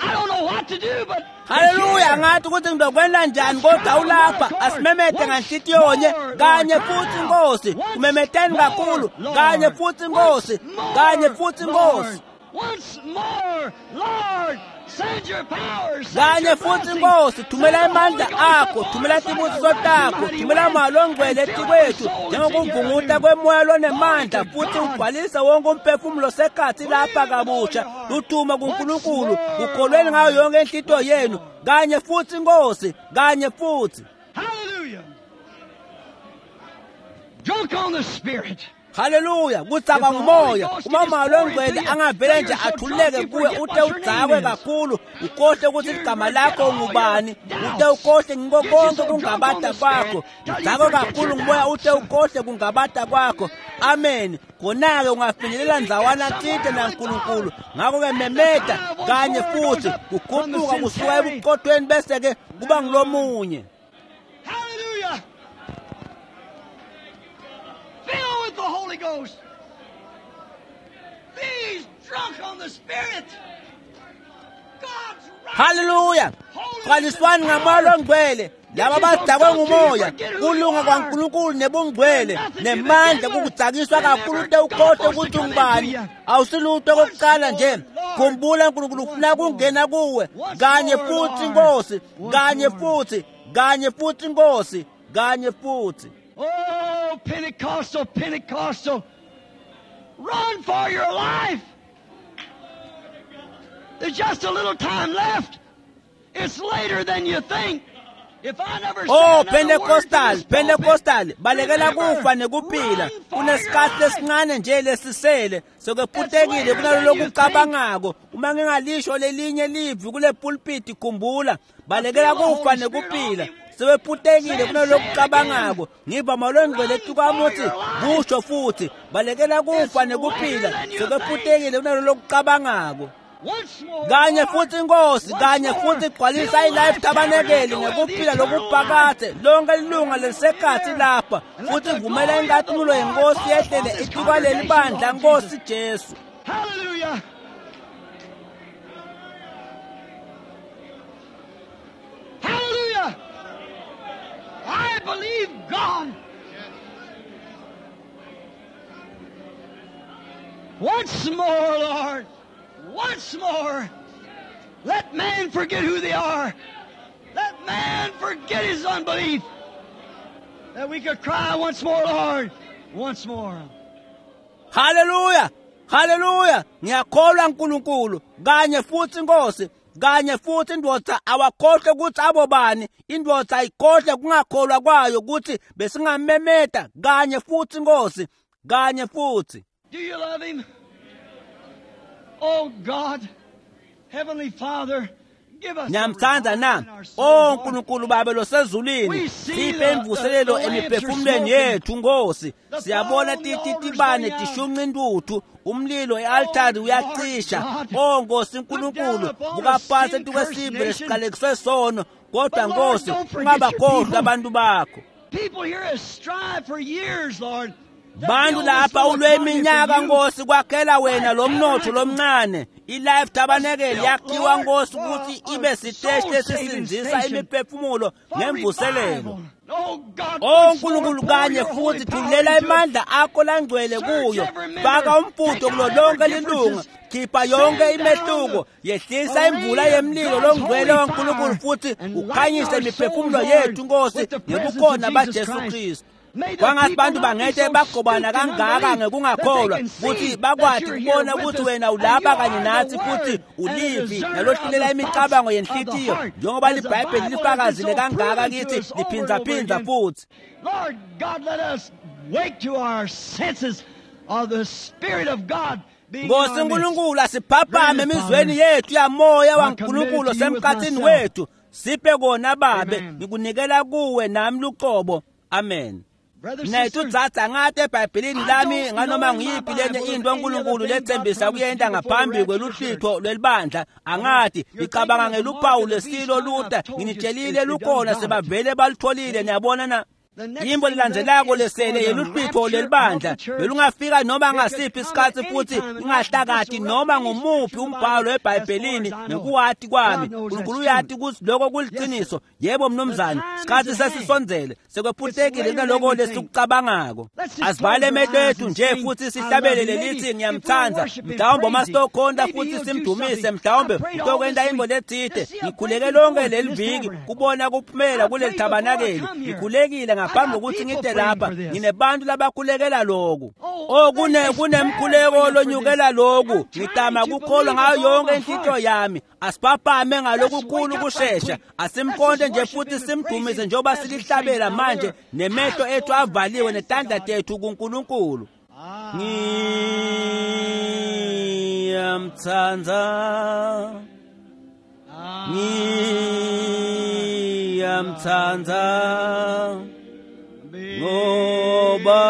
I don't know what to do, but Hallelujah ngathi ukuthi ngizokwenda njani kodwa ulapha asimemete nganhlitiyonye kanye futhi Nkosi umemeteni kakhulu kanye futhi Nkosi kanye futhi Nkosi. Once more, Lord, send your power, send kanye your futhi blessing, Nkosi thumela send the amandla Holy Ghost akho upon thumela us like tibusiso a takho mighty thumela wind, moya longcwele and fill our etikwethu souls in njengokuvunguta your kwemoya lonemandla Glory to futhi God. ugcwalise wonke umphefumulo sekhathi lapha kabusha luthuma kuNkulunkulu ukholweni ngayo yonke inhlito yenu kanye futhi Nkosi kanye futhi. Hallelujah. Drunk on the Spirit. Haleluya kudzakwa ngumoya uma umoya longcwele angavele nje athululeke kuwe ute udzakwe kakhulu ukhohle ukuthi igama lakho ungubani ute ukhohle ngiko konke kungabata kwakho udzakwe kakhulu ngumoya ute ukhohle kungabata kwakho. Amen. Khona-ke ungafinyelela ndzawana tsite naNkulunkulu ngakho-ke memeta kanye futhi kukhuphuka kusuka ebuqothweni bese-ke kuba ngulomunye. Hallelujah. Filled with the Holy Ghost. These drunk on the Spirit. God's Haleluya qaliswani ngamoya longcwele laba badzakwe ngumoya kulunga kwaNkulunkulu nebungcwele nemandla kukudzakiswa kakhulu ute ukhohle ukuthi ungubani awusilutho okokuqala nje khumbula uNkulunkulu ufuna kungena kuwe kanye futhi Nkosi kanye futhi kanye futhi Nkosi kanye futhi. Oh, Pentecostal, Pentecostal, run for your life. There's just a little time left. It's later than you think. If I never say Oh another word to Pentecostal this pulpit, Pentecostal balekela remember, kufa nekuphila run for your kunesikhathi life. lesincane nje lesisele sokephutekile kunalolu kucabangako uma ngingalisho lelinye livi kule pulpit khumbula balekela kufa nekuphila sebephutekile kunalolu kucabangako ngiva malongcwele etukwami uthi kusho futhi balekela kufa nekuphila sebephutekile kunalolu kucabangako. Once more, Kanye Lord, futhi Nkosi once kanye more, futhi gcwalisa fill iLife life Tabernacle tabernacle with ngekuphila eternal life. lokuphakade lonke ilunga lelisekhathi lapha futhi vumela inkathulo yenkosi yehlele etikwaleli bandla Nkosi Jesu. Hallelujah. Hallelujah. I believe God. Once more, Lord. Once more. Let man forget who they are. Let man forget his unbelief. That we could cry once more, Lord. Once more. Haleluya haleluya ngiyakholwa uNkulunkulu kanye futhi Nkosi kanye futhi indvodza awakhohle ukuthi abobani indvodza ayikhohle kungakholwa kwayo ukuthi besingamemeta kanye futhi Nkosi kanye futhi. Do you love him? Oh God, Heavenly Father, give us a Ngiyamthanda na revival in our soul, oh Lord. uNkulunkulu Baba losezulwini We see siphe imvuselelo the lamps are emiphefumulweni smoking. yethu Nkosi The siyabona fire on the altar's titibane going out. tishunqa intuthu umlilo e-altari Oh, uyacisha Lord God. oh Nkosi Look uNkulunkulu down upon buka a phansi sin-cursed etukwesive nation. lesiqalekiswe sono kodwa But Lord, Nkosi don't forget your ungabakhohlwa people. abantu bakho. People here have strived for years, Lord. to Bantu build this lapha little ulwe economy for iminyaka you. Nkosi kwakhela wena lo mnotho lomncane iLife Tabernacle yakhiwa Nkosi ukuthi ibe siteshi lesisindzisa imiphefumulo For ngemvuselelo. revival. Oh God, Oh once more, uNkulunkulu pour kanye your holy futhi power thulela into it. amandla akho langcwele kuyo faka umfutho kulo lonke lilunga khipha yonke imehluko yehlisa imvula yemlilo longcwele waNkulunkulu futhi ukhanyise imiphefumulo yethu Nkosi ngebukhona baJesu Kristu. Kwangathi bantu bangete bagobana kangaka ngekungakholwa kutsi bakwati kubona kutsi wena ulapha kanye natsi futhi ulivi nalohlulela imicabango yenhlitiyo njengoba libhayibheli lifakazile kangaka kithi liphindzaphindza futhi. Lord God, let us wake to our senses of the Spirit of God. Nkosi uNkulunkulu, asiphaphame emizweni yethu yamoya waNkulunkulu osemkhathini wethu. Siphe kona babe, ngikunikela kuwe nami luqobo. Amen. Mnethu dzadza, ngate eBhayibhelini lami nganoma nguyiphi lenye into uNkulunkulu letsembisa kuyenta ngaphambi kweluhlitho lwelibandla. Angati, ngicabanga ngeluphawu lwesilo luta, nginitshelile lukhona, sebavele balutholile. Niyabona na? Yimbo lilandzelako lesele yeluhlwitho lelibandla belungafika noma ngasiphi isikhatsi futhi ingahlakati noma ngumuphi umbhalo eBhayibhelini nekuwati kwami. Nkulunkulu uyati kutsi lokho kuliciniso. Yebo mnumzane, sikhatsi sesisondzele, sekwephutekile kunaloko lesikucabangako. Asivale emehlo ethu nje futhi sihlabelele lithi ngiyamthanda. Mhlawumbe uma sitokhonta futhi simdumise, mhlawumbe utokwenta intfo letsite. Ngikhuleke lonke leli viki kubona kuphumela kuleli thabanakeli. Ngikhulekile ngaphambi kokuthi ngide lapha, nginebantu labakhulekela loku. Oh, kunemkhuleko lonyukela loku. Ngitama kukholwa ngayo yonke inhlitiyo yami. Asiphaphame ngalokukhulu kushesha, asimkhonte nje futhi simdumise njengoba silihlabela manje, nemehlo ethu avaliwe netandla tethu kuNkulunkulu. Ngiyamthanda, ngiyamthanda, ngoba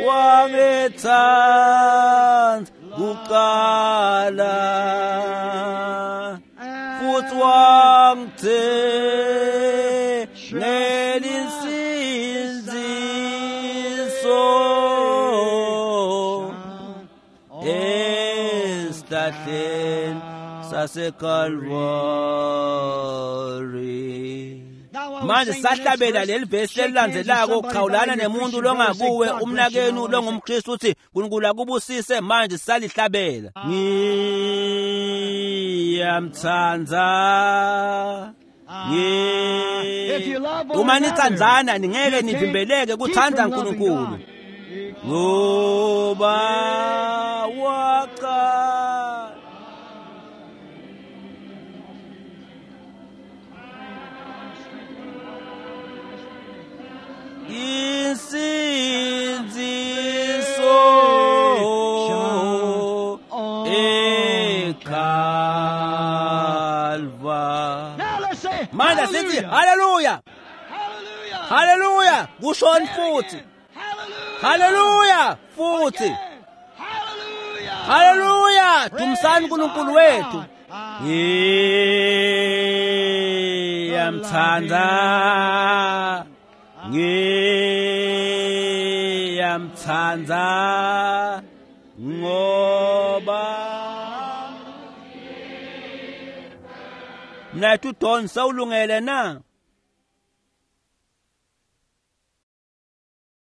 wangithanda kuqala futhi wangithengela insindziso esihlahleni saseKalvari. Manje sahlabela leli vesi lelilandzelako, khawulana nemuntu longakuwe, umnakenu longumKristu, uthi uNkulunkulu akubusise. Manje salihlabela. Ngiyamthanda. Uma nitsandzana ningeke nivimbeleke kuthanda uNkulunkulu, ngoba waqala insindziso eKalvari. Manje sithi haleluya, haleluya, kushoni futhi haleluya futhi haleluya. Dumisani uNkulunkulu wethu. Ngiyamthanda, ngiyamthanda, ngoba mnethu Don, sewulungele na?